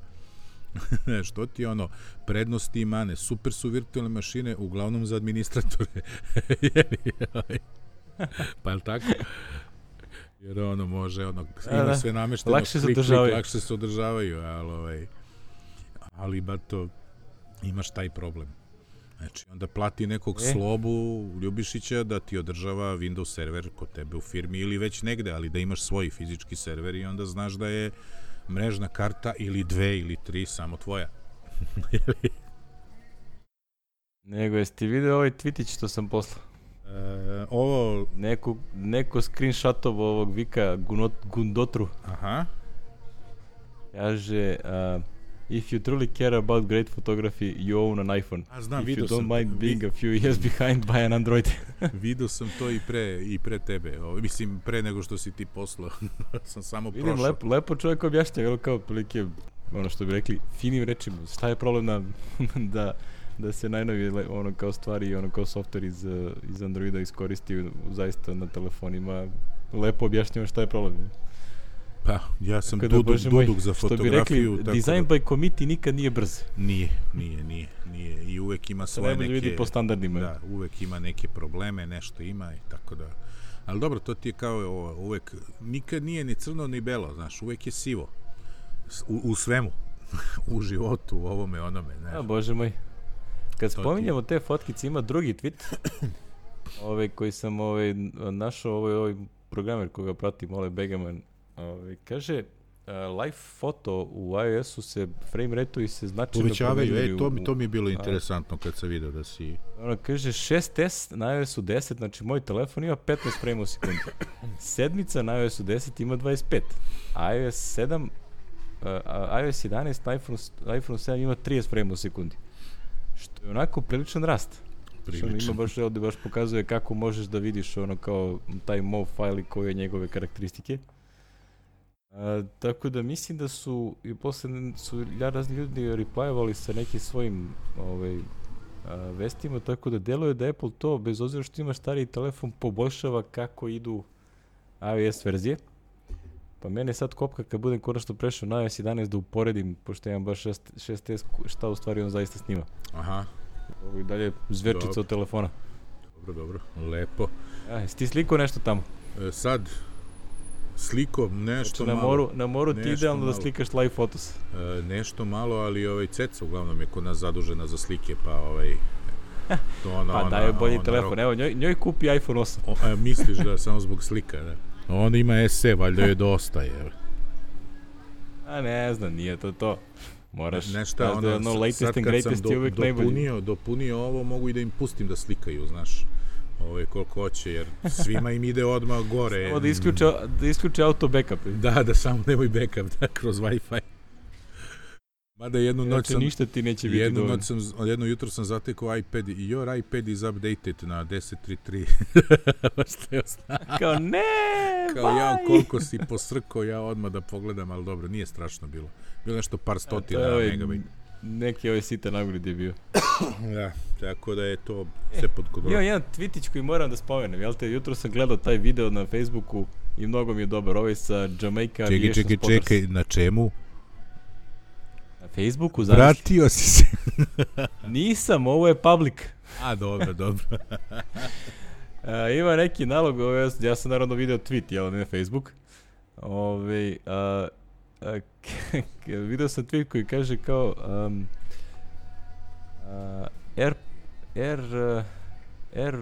Što ti ono, prednosti i mane, super su virtualne mašine, uglavnom za administratore. Pa je li tako? Jer ono može, ono, ima da, sve namešteno, lakše se održavaju. Lakše se održavaju, ali, ovaj, ali ba to, imaš taj problem. Znači, onda plati nekog e. Slobu Ljubišića da ti održava Windows server kod tebe u firmi ili već negde, ali da imaš svoj fizički server i onda znaš da je mrežna karta ili dve ili tri samo tvoja. Nego, jesi ti vidio ovaj tweetić što sam poslao? E, ovo... Neko, neko screenshotovo ovog Vika Gunot, Gundotru. Aha. Kaže... Uh, if you truly care about great photography, you own an iPhone. A znam, if vidio you don't sam, mind being vi... a few years behind, buy an Android. Vidio sam to i pre, i pre tebe. O, mislim, pre nego što si ti poslao. Sam samo Vidim, prošao. Lepo, lepo čovjek objašnja, jel kao prilike, ono što bi rekli, finim rečima. Šta je problem na, da, da se najnovije ono kao stvari i ono kao software iz, iz Androida iskoristi zaista na telefonima. Lepo objašnjava šta je problem. Pa, ja sam duduk, duduk za fotografiju. Što bi rekli, design by committee nikad nije brz. Nije, nije, nije, nije. I uvek ima svoje neke... vidi po standardima. Da, uvek ima neke probleme, nešto ima i tako da... Ali dobro, to ti je kao ovo, uvek... Nikad nije ni crno ni belo, znaš, uvek je sivo. U, u svemu. U životu, u ovome, onome, znaš. A, Bože moj. Kad spominjamo te fotkice, ima drugi tweet. ovaj koji sam ovaj, našao, ovaj, ovaj programer koga pratim, ovaj Begaman. Ove, kaže, uh, live foto u iOS-u se frame rate-u i se značajno povećavaju. E, to, to mi je bilo interesantno kad sam vidio da si... Ono, kaže, šest S na iOS-u deset, znači moj telefon ima petnaest frame u sekundi. Sedmica na iOS-u deset ima dvadeset pet. iOS sedam, uh, iOS jedanaest na iPhone, iPhone sedam ima trideset frame u sekundi. Što je onako priličan rast. Priličan. Što ima baš, ovdje baš pokazuje kako možeš da vidiš ono kao taj M O V file i koje je njegove karakteristike. A, tako da mislim da su i posle su razni ljudi replyvali sa nekim svojim ovaj, a, vestima, tako da deluje da Apple to, bez obzira što ima stariji telefon, poboljšava kako idu iOS verzije. Pa mene sad kopka kad budem konačno prešao na iOS jedanaest da uporedim, pošto imam baš šest S, šta u stvari on zaista snima. Aha. Ovo i dalje zverčica dobro. Od telefona. Dobro, dobro, lepo. A, jesi ti slikao nešto tamo? E, sad... Sliko, nešto na malo. Moru, na moru ti idealno malo. Da slikaš live fotos. E, nešto malo, ali ovaj Ceca uglavnom je kod nas zadužena za slike, pa ovaj... To ona, pa daj bolji ona, telefon, ona, evo njoj, njoj kupi iPhone osam. O, a, misliš da samo zbog slika, da? On ima S E, valjda je dosta, je. A ne znam, nije to to. Moraš, nešta, ono, da ono latest and greatest je uvek najbolji. Dopunio, dopunio ovo, mogu i da im pustim da slikaju, znaš. Ovo je koliko hoće, jer svima im ide odmah gore. Samo da isključe, da isključe auto backup. Da, da samo nemoj backup, da, kroz Wi-Fi. Mada jednu noć sam... ništa ti neće biti jednu noć sam, jedno jutro sam zatekao iPad i your iPad is updated na deset tri tri. Kao ne, Kao bye. Ja koliko si posrkao, ja odmah da pogledam, ali dobro, nije strašno bilo. Bilo nešto par stotina ovaj, megabajt. Neki ovaj sitan upgrade je bio. Da, tako da je to sve pod kontrolom. Ima jedan tweetić koji moram da spomenem, jel te, jutro sam gledao taj video na Facebooku i mnogo mi je dobar, ovaj sa Jamaica Aviation Spotters. Čekaj, čekaj, čekaj, na čemu? Na Facebooku, znaš? Vratio si se. Nisam, ovo je public. A, dobro, dobro. A, ima neki nalog, ovaj, ja sam naravno video tweet, jel, ne na Facebook. Ove, a, a, video sam tweet koji kaže kao um, uh, air, air, uh, air,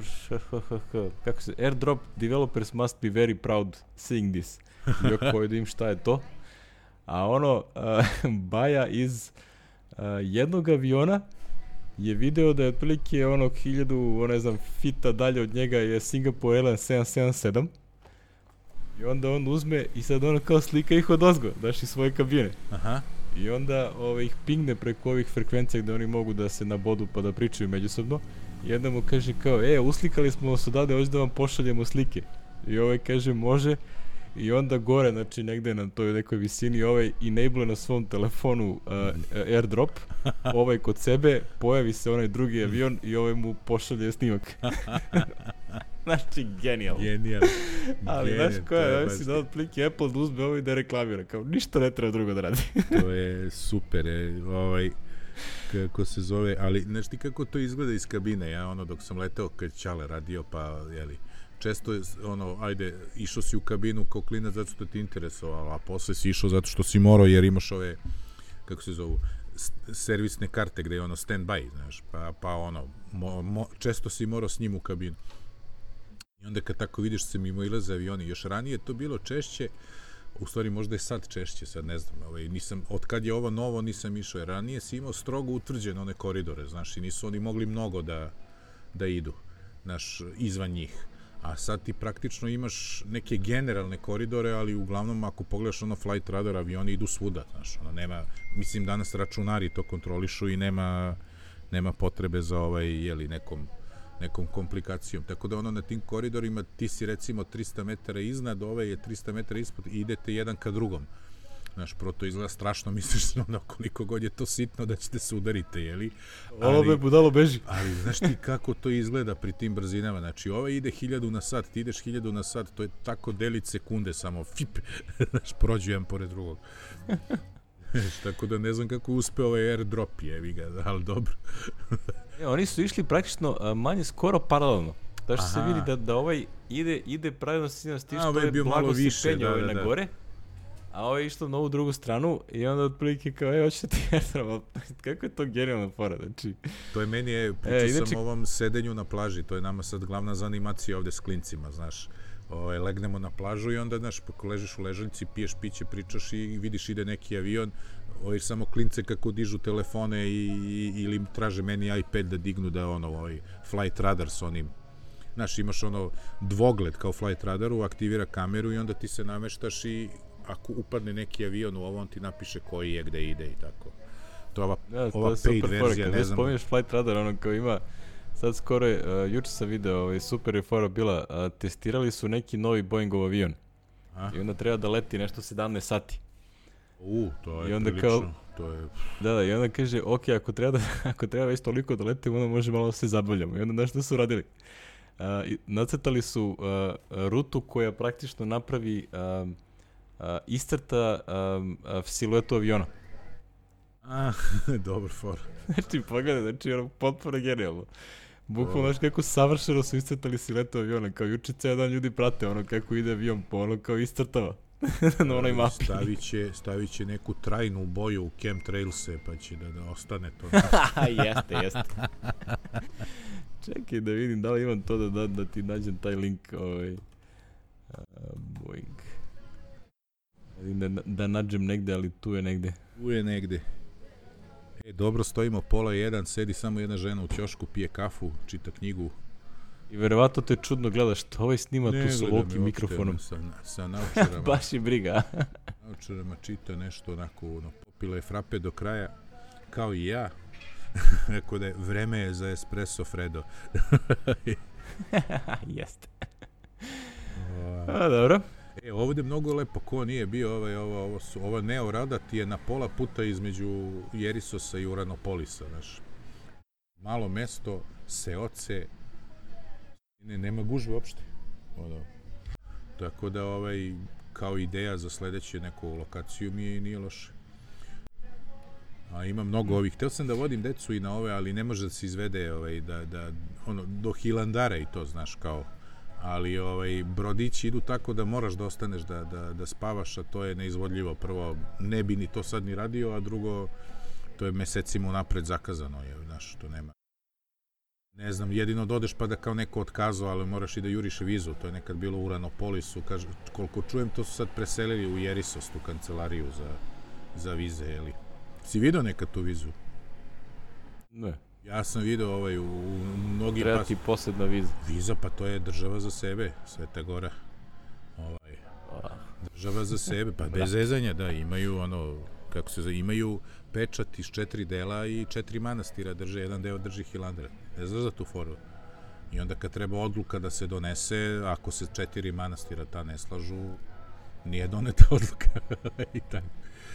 kako se, airdrop developers must be very proud seeing this. I ako vidim šta je to. A ono, uh, Baja iz uh, jednog aviona je video da je otprilike ono hiljadu, ne znam, fita dalje od njega je Singapore Airlines sedam sedam sedam. I onda on uzme i sad ono kao slika ih od ozgo, daš iz svoje kabine. Aha. i onda ovaj, ih pingne preko ovih frekvencija gde oni mogu da se nabodu pa da pričaju međusobno. I onda mu kaže kao, e, uslikali smo vas odavde, hoće da vam pošaljemo slike. I ovaj kaže, može. I onda gore, znači negde na toj nekoj visini, ovaj enable na svom telefonu uh, airdrop, ovaj kod sebe, pojavi se onaj drugi avion i ovaj mu pošalje snimak. Znači, genijal. Genijal. Ali, znaš koja, ovaj si da otplike Apple da uzme ovo i da reklamira, kao ništa ne treba drugo da radi. To je super, je, ovaj, kako se zove, ali, znaš ti kako to izgleda iz kabine, ja ono, dok sam letao kad Ćale radio, pa, jeli, često je, ono, ajde, išao si u kabinu kao klinac zato što ti interesovalo, a posle si išao zato što si morao, jer imaš ove, kako se zovu, servisne karte gde je ono stand-by, znaš, pa, pa ono, mo, mo, često si morao s njim u kabinu. I onda kad tako vidiš se mimo ilaze avioni, još ranije to bilo češće, u stvari možda je sad češće, sad ne znam, ovaj, nisam, od kad je ovo novo nisam išao, jer ranije si imao strogo utvrđene one koridore, znaš, i nisu oni mogli mnogo da, da idu, znaš, izvan njih. A sad ti praktično imaš neke generalne koridore, ali uglavnom ako pogledaš ono flight radar, avioni idu svuda, znaš, ono nema, mislim danas računari to kontrolišu i nema, nema potrebe za ovaj, jeli, nekom, nekom komplikacijom, tako da ono na tim koridorima ti si recimo trista metara iznad, ovaj je trista metara ispod i idete jedan ka drugom. Znaš, prvo to izgleda strašno, misliš ono koliko god je to sitno da ćete se udarite, jeli? Ovo me budalo beži. Ali znaš ti kako to izgleda pri tim brzinama, znači ovaj ide hiljadu na sat, ti ideš hiljadu na sat, to je tako delić sekunde samo, fip, znaš, prođu jedan pored drugog. Tako da ne znam kako uspe ovaj airdrop, jevi ga, ali dobro. E, oni su išli praktično a, manje skoro paralelno. Da što se vidi da, da ovaj ide, ide pravilno sa stiš, to je blago se penje ovaj da, da. na gore. A ovo je išlo na ovu drugu stranu i onda otprilike kao, e, hoćete ti airdrop, kako je to genijalna fora, znači. To je meni, je, pričao e, inači... sam o ovom sedenju na plaži, to je nama sad glavna zanimacija ovde s klincima, znaš. O, legnemo na plažu i onda, znaš, ako ležiš u ležaljci, piješ piće, pričaš i vidiš ide neki avion, ovaj, samo klince kako dižu telefone i, i, ili traže meni iPad da dignu da ono, ovaj, flight radar s onim. Znaš, imaš ono dvogled kao flight radaru, aktivira kameru i onda ti se nameštaš i ako upadne neki avion u ovo, on ti napiše koji je, gde ide i tako. To je ova, ja, ova to je paid verzija, ne znam. Kad spominješ flight radar, ono kao ima, sad skoro, uh, juče sam video, ovaj, super je fora bila, uh, testirali su neki novi Boeingov avion. A? I onda treba da leti nešto sedamnaest sati. U, to je I onda prilično, kao, to je... Da, da, i onda kaže, ok, ako treba, da, ako treba već toliko da letimo, onda može malo da se zabavljamo. I onda znaš što su radili? Uh, nacrtali su uh, rutu koja praktično napravi uh, uh, iscrta um, uh, siluetu aviona. A, dobar for. Znači, pogledaj, znači, ono, potpuno genijalno. Bukvalno, znaš kako savršeno su iscrtali siluetu aviona, kao juče ceo dan ljudi prate ono kako ide avion, po ono kao iscrtava na onoj mapi. Stavit će, stavit će neku trajnu boju u chemtrailse, pa će da, da ostane to. Jeste, jeste. Čekaj da vidim da li imam to da, da, da ti nađem taj link, ovaj, uh, Boeing. Da, da nađem negde, ali tu je negde. Tu je negde. E, dobro, stojimo pola jedan, sedi samo jedna žena u ćošku, pije kafu, čita knjigu. I verovatno te čudno gledaš što ovaj snima ne, tu sa volikim mikrofonom. Sa, sa naučarama. Baš je briga. Naučarama čita nešto onako, ono, popila je frape do kraja, kao i ja. Rekao da je vreme je za espresso Fredo. Jeste. A, dobro. E, ovdje mnogo lepo, ko nije bio, ovaj, ovo, ovo su, ova Neo Rada ti je na pola puta između Jerisosa i Uranopolisa, znaš. Malo mesto, seoce, ne, nema gužve uopšte. Ono. Tako da, ovaj, kao ideja za sledeću neku lokaciju mi je nije loše. A ima mnogo ovih. Hteo sam da vodim decu i na ove, ali ne može da se izvede ovaj, da, da, ono, do Hilandara i to, znaš, kao. Ali ovaj, brodići idu tako da moraš da ostaneš da, da, da spavaš, a to je neizvodljivo. Prvo, ne bi ni to sad ni radio, a drugo, to je mesecima unapred zakazano, je, znaš, to nema. Ne znam, jedino dodeš pa da kao neko otkazao, ali moraš i da juriš vizu, to je nekad bilo u Uranopolisu, kaže, koliko čujem, to su sad preselili u Jerisos, tu kancelariju za, za vize, jeli. Si vidio nekad tu vizu? Ne. Ja sam vidio ovaj u, u mnogim... Treba ti posebna viza. Viza, pa to je država za sebe, Sveta Gora. Ovaj, država za sebe, pa bez zezanja, da, imaju ono kako se zove, imaju pečat iz četiri dela i četiri manastira drže, jedan deo drži Hilandar. Ne znaš za tu foru? I onda kad treba odluka da se donese, ako se četiri manastira ta ne slažu, nije doneta odluka. I tako.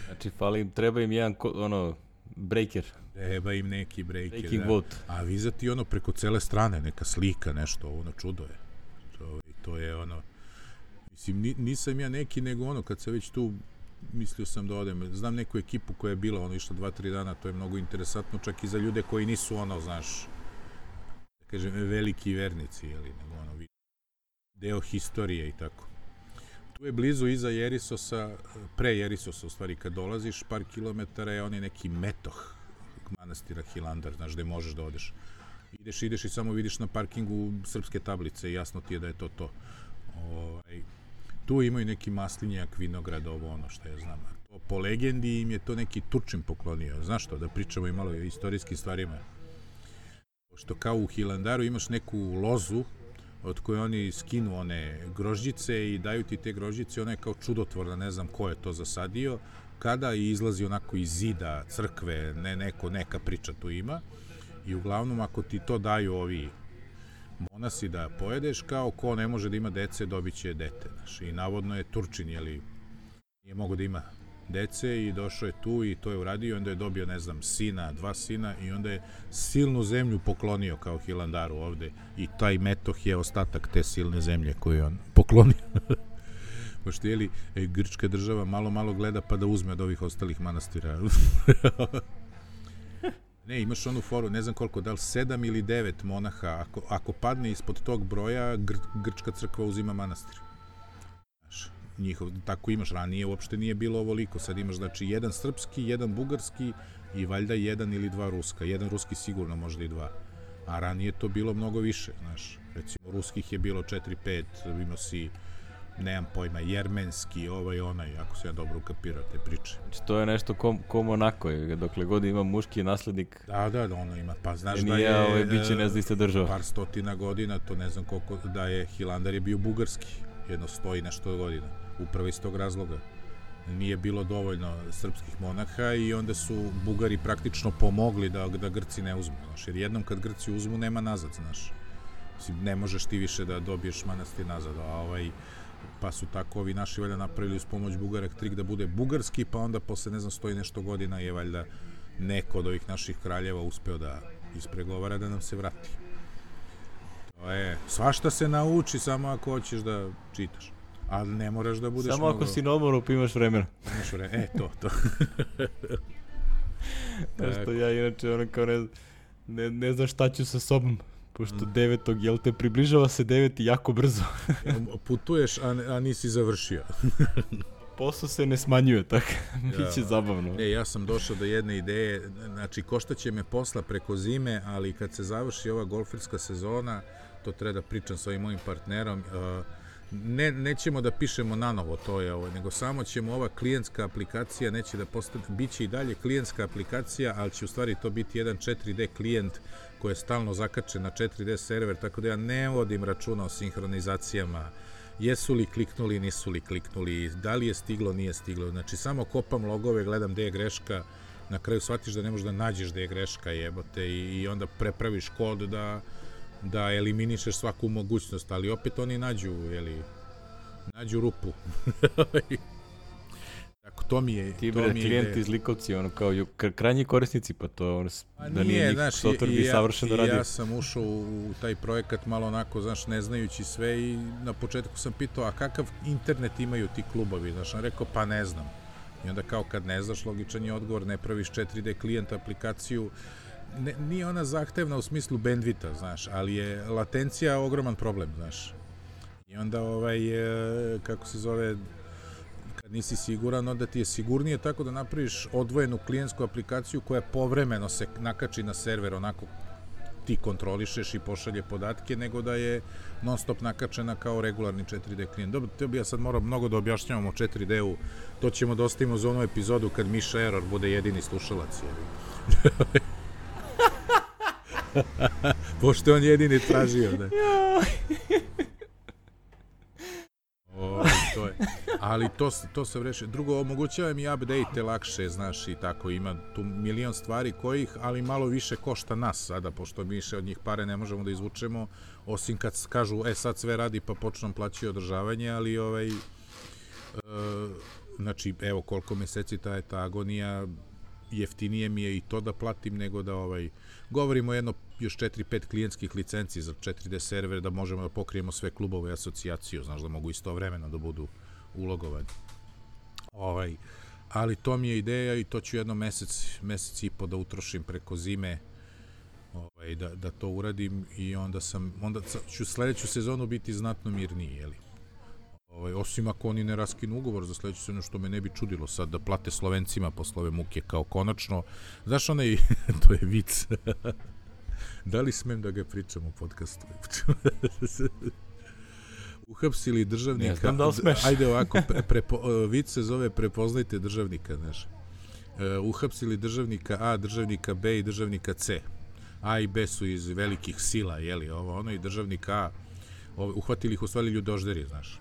Znači, fali im, treba im jedan, ono, breaker. Treba im neki breaker, Breaking da. vote. A vizati ono preko cele strane, neka slika, nešto, ono čudo je. To, to je ono, mislim, ni, nisam ja neki, nego ono, kad se već tu, mislio sam da odem, znam neku ekipu koja je bila, ono, išla dva, tri dana, to je mnogo interesantno, čak i za ljude koji nisu, ono, znaš, da kažem, veliki vernici, jeli, nego ono, deo historije i tako. Tu je blizu iza Jerisosa, pre Jerisosa, u stvari, kad dolaziš, par kilometara je onaj neki metoh manastira Hilandar, znaš, gde možeš da odeš. Ideš, ideš i samo vidiš na parkingu srpske tablice i jasno ti je da je to to. Ovaj, tu imaju neki maslinjak, vinograd, ovo ono što ja znam. To, po legendi im je to neki Turčin poklonio. Znaš što, da pričamo i malo o istorijskim stvarima. Što kao u Hilandaru imaš neku lozu od koje oni skinu one grožđice i daju ti te grožđice, ona je kao čudotvorna, ne znam ko je to zasadio, kada izlazi onako iz zida crkve, ne, neko, neka priča tu ima. I uglavnom, ako ti to daju ovi monasi da pojedeš, kao ko ne može da ima dece, dobit će dete. Znaš. I navodno je Turčin, jeli, nije mogo da ima dece i došao je tu i to je uradio i onda je dobio, ne znam, sina, dva sina i onda je silnu zemlju poklonio kao Hilandaru ovde i taj metoh je ostatak te silne zemlje koju je on poklonio. Pošto, jeli, grčka država malo, malo gleda pa da uzme od ovih ostalih manastira. Ne, imaš onu foru, ne znam koliko, da li sedam ili devet monaha, ako, ako padne ispod tog broja, gr, grčka crkva uzima manastir. Znaš, njihov, tako imaš, ranije uopšte nije bilo ovoliko, sad imaš, znači, jedan srpski, jedan bugarski i valjda jedan ili dva ruska, jedan ruski sigurno, možda i dva, a ranije to bilo mnogo više, znaš, recimo, ruskih je bilo četiri pet, imao si, nemam pojma, jermenski, ovaj, onaj, ako se ja dobro ukapirao te priče. Znači, to je nešto ko, ko Monako, dokle god ima muški naslednik. Da, da, da, ono ima, pa znaš nije, da je... Ovaj, biće ne zna iste država. Par stotina godina, to ne znam koliko, da je Hilandar je bio bugarski, jedno stoji nešto godina, upravo iz tog razloga. Nije bilo dovoljno srpskih monaha i onda su Bugari praktično pomogli da, da Grci ne uzmu, znaš, jer jednom kad Grci uzmu, nema nazad, znaš. Mislim, ne možeš ti više da dobiješ manastir nazad, a ovaj... pa su tako ovi naši valjda napravili uz pomoć Bugara trik da bude bugarski, pa onda posle, ne znam, stoji nešto godina je valjda neko od ovih naših kraljeva uspeo da ispregovara da nam se vrati. To je, svašta se nauči samo ako hoćeš da čitaš, ali ne moraš da budeš samo mnogo... ako si na odmoru pa imaš vremena. Imaš vremena, e, to, to. Što ja inače ono kao ne, ne, ne znam šta ću sa sobom. Pošto devetog, jel te, približava se deveti jako brzo. Putuješ, a, a nisi završio. Posao se ne smanjuje, tako. Biće ja, zabavno. Ne, ja sam došao do jedne ideje, znači koštaće me posla preko zime, ali kad se završi ova golferska sezona, to treba da pričam sa ovim mojim partnerom, ne, nećemo da pišemo na novo to je ovo, nego samo ćemo ova klijentska aplikacija, neće da postane, bit će i dalje klijentska aplikacija, ali će u stvari to biti jedan četiri D klijent koji je stalno zakačen na četiri D server, tako da ja ne vodim računa o sinhronizacijama, jesu li kliknuli, nisu li kliknuli, da li je stiglo, nije stiglo, znači samo kopam logove, gledam gde je greška, na kraju shvatiš da ne možeš da nađeš gde je greška, jebote, i, i onda prepraviš kod da da eliminišeš svaku mogućnost, ali opet oni nađu, jeli, nađu rupu. Tako, to mi je... Ti bre, klijenti iz Likovci, ono, kao krajnji korisnici, pa to, ono, da nije njih software bi savršeno ja, radio. Ja sam ušao u taj projekat malo onako, znaš, ne znajući sve i na početku sam pitao, a kakav internet imaju ti klubovi, znaš, on rekao, pa ne znam. I onda kao kad ne znaš, logičan je odgovor, ne praviš četiri D klijent aplikaciju, Ne, nije ona zahtevna u smislu bandvita, znaš, ali je latencija ogroman problem, znaš. I onda, ovaj, e, kako se zove, kad nisi siguran, onda ti je sigurnije tako da napraviš odvojenu klijentsku aplikaciju koja povremeno se nakači na server, onako ti kontrolišeš i pošalje podatke, nego da je non stop nakačena kao regularni četiri D klijent. Dobro, to bi ja sad morao mnogo da objašnjavam o četiri D-u, to ćemo da ostavimo za onu epizodu kad Miša Error bude jedini slušalac, jevi. Pošto on jedini tražio, da. O, to je. ali to, to se reši. Drugo, omogućava mi update lakše, znaš, i tako, ima tu milion stvari kojih, ali malo više košta nas sada, pošto mi više od njih pare ne možemo da izvučemo, osim kad kažu, e, sad sve radi, pa počnem plaćati održavanje, ali, ovaj, e, znači, evo, koliko meseci ta je ta agonija, jeftinije mi je i to da platim nego da, ovaj, govorimo jedno, još četiri pet klijentskih licenci za četiri D server, da možemo da pokrijemo sve klubove i asocijaciju, znaš, da mogu istovremeno da budu ulogovani. Ovaj, ali to mi je ideja i to ću jedno mesec, mesec i po da utrošim preko zime, ovaj, da, da to uradim i onda sam, onda ću sledeću sezonu biti znatno mirniji, jeli? Ovaj, osim ako oni ne raskinu ugovor za sledeću sezonu, što me ne bi čudilo sad da plate Slovencima posle ove muke kao konačno. Znaš onaj, to je vic. Da li smem da ga pričam u podcastu? Uhapsili državnika. Ne znam da li smeš. Ajde ovako, prepo, vic se zove prepoznajte državnika, znaš. Uh, uhapsili državnika A, državnika B i državnika C. A i B su iz velikih sila, jeli, ovo, ono, i državnik A, ovo, uhvatili ih u stvari ljudožderi, znaš.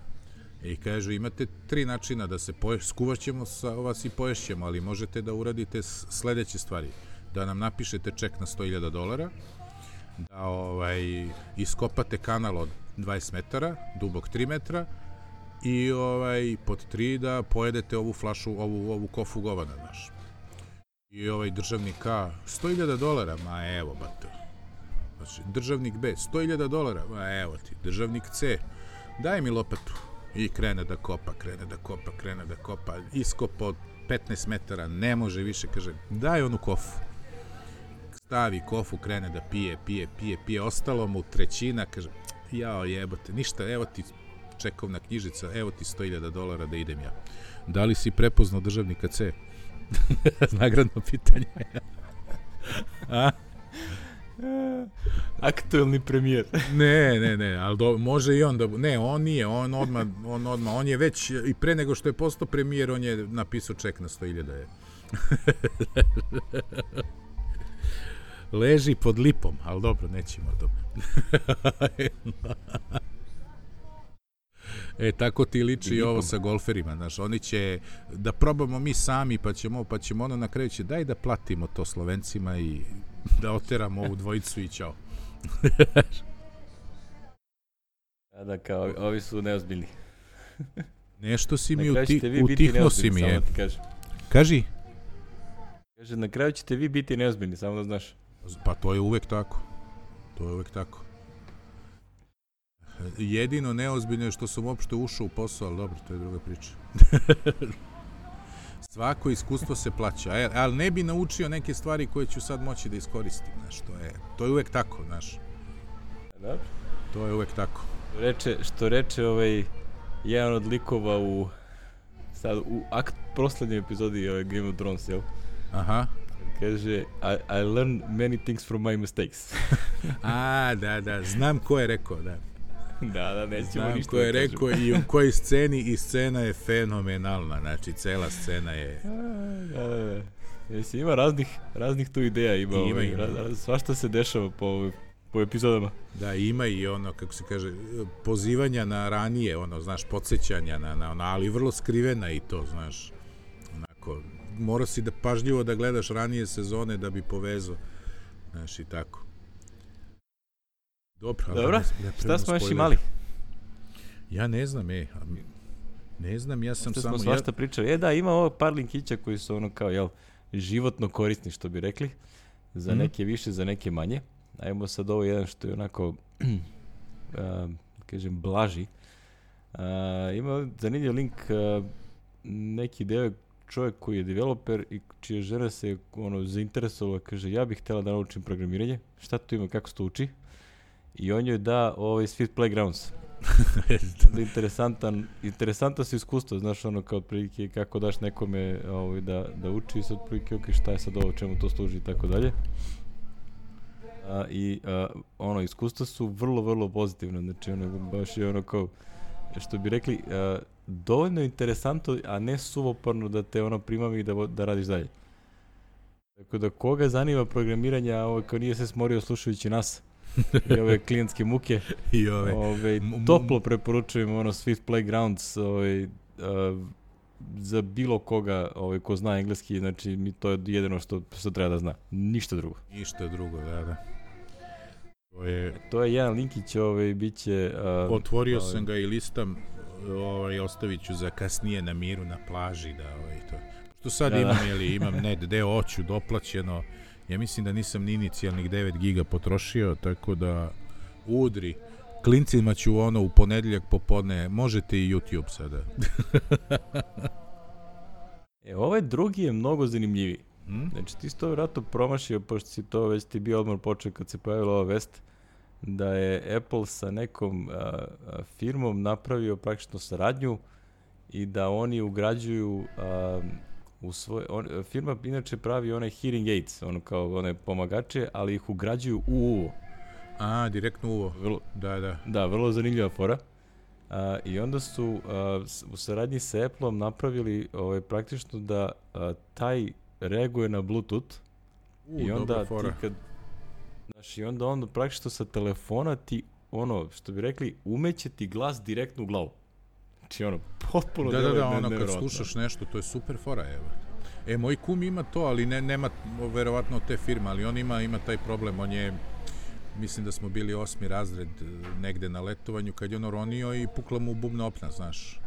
I kažu, imate tri načina da se poješ, skuvaćemo sa vas i poješćemo, ali možete da uradite sledeće stvari. Da nam napišete ček na sto hiljada dolara, da ovaj, iskopate kanal od dvadeset metara, dubok tri metra, i ovaj, pod tri da pojedete ovu flašu, ovu, ovu kofu govana, znaš. I ovaj državnik A, sto hiljada dolara, ma evo, bato. Znači, državnik B, sto hiljada dolara, ma evo ti. Državnik C, daj mi lopatu. I krene da kopa, krene da kopa, krene da kopa, iskopa od petnaest metara, ne može više, kaže, daj onu kofu. Stavi kofu, krene da pije, pije, pije, pije, ostalo mu trećina, kaže, jao jebote, ništa, evo ti čekovna knjižica, evo ti sto hiljada dolara da idem ja. Da li si prepoznao državnika C? Nagradno pitanje. A? Aktuelni premijer. Ne, ne, ne, ali do, može i on da... Ne, on nije, on odmah, on odmah, on je već, i pre nego što je postao premijer, on je napisao ček na sto hiljada. Leži pod lipom, ali dobro, nećemo to. E, tako ti liči i ovo sa golferima, znaš, oni će, da probamo mi sami, pa ćemo, pa ćemo ono na kraju će, daj da platimo to Slovencima i da oteramo ovu dvojicu i ćao. A da, kao, ovi su neozbiljni. Nešto si mi uti, utihno si mi je. Kaži? Kaže, na kraju ćete vi biti neozbiljni, samo da znaš. Pa to je uvek tako. To je uvek tako. Jedino neozbiljno je što sam uopšte ušao u posao, ali dobro, to je druga priča. Svako iskustvo se plaća, ali ne bi naučio neke stvari koje ću sad moći da iskoristim, znaš, to je, to je uvek tako, znaš. Dobro. To je uvek tako. Reče, što reče ovaj, jedan od likova u, sad, u akt, proslednjoj epizodi ovaj, Game of Thrones, jel? Aha. Kaže, I, I learn many things from my mistakes. A, da, da, znam ko je rekao, da. Da, da, nećemo znam ništa ko je da rekao i u kojoj sceni, i scena je fenomenalna, znači cela scena je... Da, da, da. Jesi, ima raznih, raznih tu ideja, ima, ima, ovaj, ima. Raz, svašta se dešava po, po epizodama. Da, ima i ono, kako se kaže, pozivanja na ranije, ono, znaš, podsjećanja na, na ono, ali vrlo skrivena i to, znaš, onako, mora si da pažljivo da gledaš ranije sezone da bi povezao, znaš, i tako. Dobro, Dobro, ne, šta smo još imali? Ja ne znam, e, ne znam, ja sam Što samo... smo svašta ja... pričali. E da, ima ovo par linkića koji su ono kao, jel, životno korisni, što bi rekli. Za mm. neke više, za neke manje. Ajmo sad ovo jedan što je onako, uh, kažem, blaži. Uh, ima zanimljiv link, uh, neki deo čovjek koji je developer i čija žena se ono zainteresovala, kaže, ja bih htjela da naučim programiranje. Šta tu ima, kako se to uči? I on joj da ovaj Sweet Playgrounds. interesantan, interesantno se iskustvo, znaš, ono kao otprilike kako daš nekome ovaj, da, da uči, sad otprilike, ok, šta je sad ovo, čemu to služi i tako dalje. A, I a, ono, iskustva su vrlo, vrlo pozitivno, znači ono, baš je ono kao, što bi rekli, a, dovoljno interesantno, a ne suvoparno da te ono primami i da, da radiš dalje. Tako da koga zanima programiranje, a ovo kao nije se smorio slušajući nas, i ove klijentske muke, i ove ove, toplo preporučujem ono Swift Playgrounds, ove, uh, za bilo koga ovaj, ko zna engleski, znači mi to je jedino što, što treba da zna. Ništa drugo. Ništa drugo, da, da. To je, to je jedan linkić, ovaj, bit će... Uh, otvorio ovaj, sam ga i listam, ovaj, ostavit ću za kasnije na miru na plaži, da, ovaj, to. Što sad da, imam, da. Jeli, imam net deo oću doplaćeno, ja mislim da nisam ni inicijalnih devet giga potrošio, tako da udri. Klincima ću ono u ponedeljak popodne, možete i YouTube sada. E, ovaj drugi je mnogo zanimljiviji. Hmm? Znači, ti si to vjerojatno promašio, pošto si to već ti bio odmor počeo kad se pojavila ova vest, da je Apple sa nekom a, a, firmom napravio praktično saradnju i da oni ugrađuju a, u svoj... On, firma inače pravi one hearing aids, ono kao one pomagače, ali ih ugrađuju u uvo. A, direktno uvo. Vrlo, da, da. Da, vrlo zanimljiva fora. A, I onda su a, u saradnji sa Appleom napravili ovaj, praktično da a, taj reaguje na Bluetooth. U, i onda dobra fora. Ti kad, znaš, i onda on praktično sa telefona ti, ono, što bi rekli, umeće ti glas direktno u glavu. Znači, ono, potpuno da, da, da, ne, ono, kad slušaš nešto, to je super fora, evo. E, moj kum ima to, ali ne, nema, verovatno, te firme, ali on ima, ima taj problem, on je... Mislim da smo bili osmi razred negde na letovanju kad je ono ronio i pukla mu bubna opna, znaš.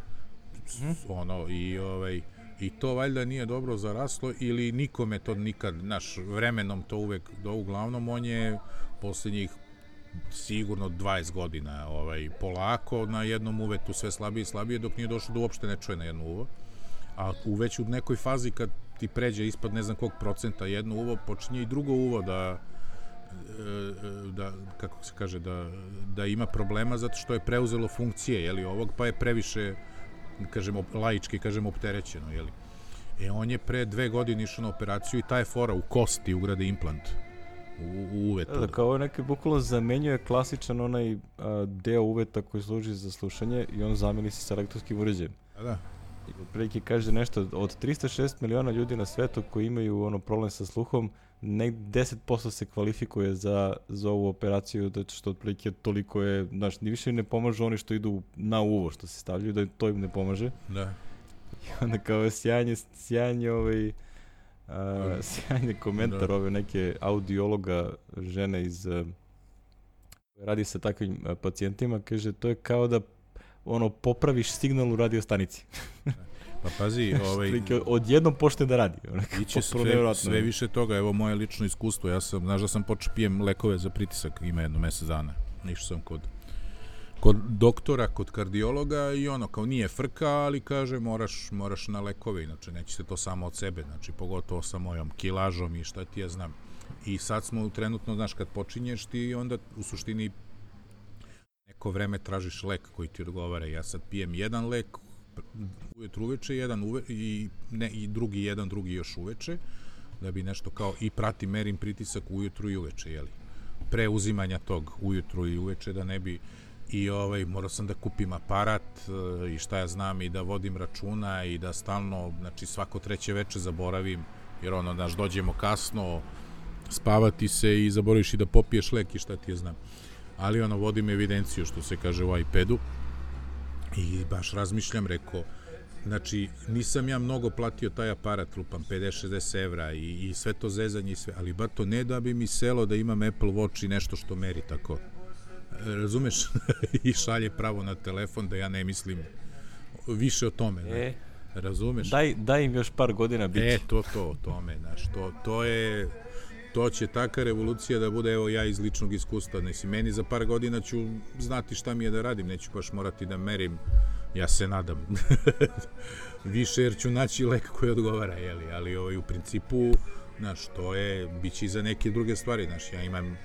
Mm. Ono, i, ovaj, i to valjda nije dobro zaraslo ili nikome to nikad, znaš, vremenom to uvek, do uglavnom on je posljednjih sigurno dvadeset godina ovaj, polako na jednom uvetu sve slabije i slabije dok nije došlo da uopšte ne čuje na jedno uvo. A u već u nekoj fazi kad ti pređe ispod ne znam kog procenta jedno uvo, počinje i drugo uvo da da, kako se kaže, da, da ima problema zato što je preuzelo funkcije, jeli, ovog, pa je previše, kažemo, laički, kažemo, opterećeno, jeli. E, on je pre dve godine išao na operaciju i ta je fora u kosti ugrade implant u, u uvetu. Da, kao neki bukvalno zamenjuje klasičan onaj a, deo uveta koji služi za slušanje i on zameni se sa elektronskim uređajem. Da, da. I otprilike kaže nešto, od tristo šest miliona ljudi na svetu koji imaju ono problem sa sluhom, nek deset posto se kvalifikuje za, za ovu operaciju, da što otprilike toliko je, znaš, ni više ne pomažu oni što idu na uvo, što se stavljaju, da to im ne pomaže. Da. I onda kao sjajanje, sjajanje ovaj, a, sjajanje komentar da. Ove neke audiologa žene iz, a, radi sa takvim a, pacijentima, kaže, to je kao da ono, popraviš signal u radiostanici. Pa pazi, ovaj... odjednom počne da radi. Iće sve, sve više toga, evo moje lično iskustvo, ja sam, znaš da sam počeo pijem lekove za pritisak, ima jedno mesec dana. Išao sam kod, kod doktora, kod kardiologa i ono, kao nije frka, ali kaže moraš, moraš na lekove, inače neće se to samo od sebe, znači pogotovo sa mojom kilažom i šta ti ja znam. I sad smo trenutno, znaš, kad počinješ ti onda u suštini neko vreme tražiš lek koji ti odgovara. Ja sad pijem jedan lek ujutru uveče, jedan uve, i, ne, i drugi jedan, drugi još uveče, da bi nešto kao, i pratim, merim pritisak ujutru i uveče, jeli. Pre uzimanja tog ujutru i uveče, da ne bi, i ovaj, morao sam da kupim aparat i šta ja znam, i da vodim računa i da stalno, znači svako treće veče zaboravim, jer ono, znaš, dođemo kasno, spavati se i zaboraviš i da popiješ lek i šta ti je znam. Ali ono, vodim evidenciju, što se kaže, u iPadu i baš razmišljam, rekao, znači, nisam ja mnogo platio taj aparat, lupam pedeset šezdeset evra i, i sve to zezanje i sve, ali bar to ne da bi mi selo da imam Apple Watch i nešto što meri tako, razumeš, i šalje pravo na telefon da ja ne mislim više o tome, e, razumeš? Daj, daj im još par godina biti. E, to, to, o tome, znaš, to, to je... To će taka revolucija da bude, evo ja iz ličnog iskustva, nesi, meni za par godina ću znati šta mi je da radim, neću baš morati da merim, ja se nadam, više jer ću naći lek koji odgovara, jeli, ali ovaj, u principu, znaš, to je, bit će i za neke druge stvari, znaš, ja imam,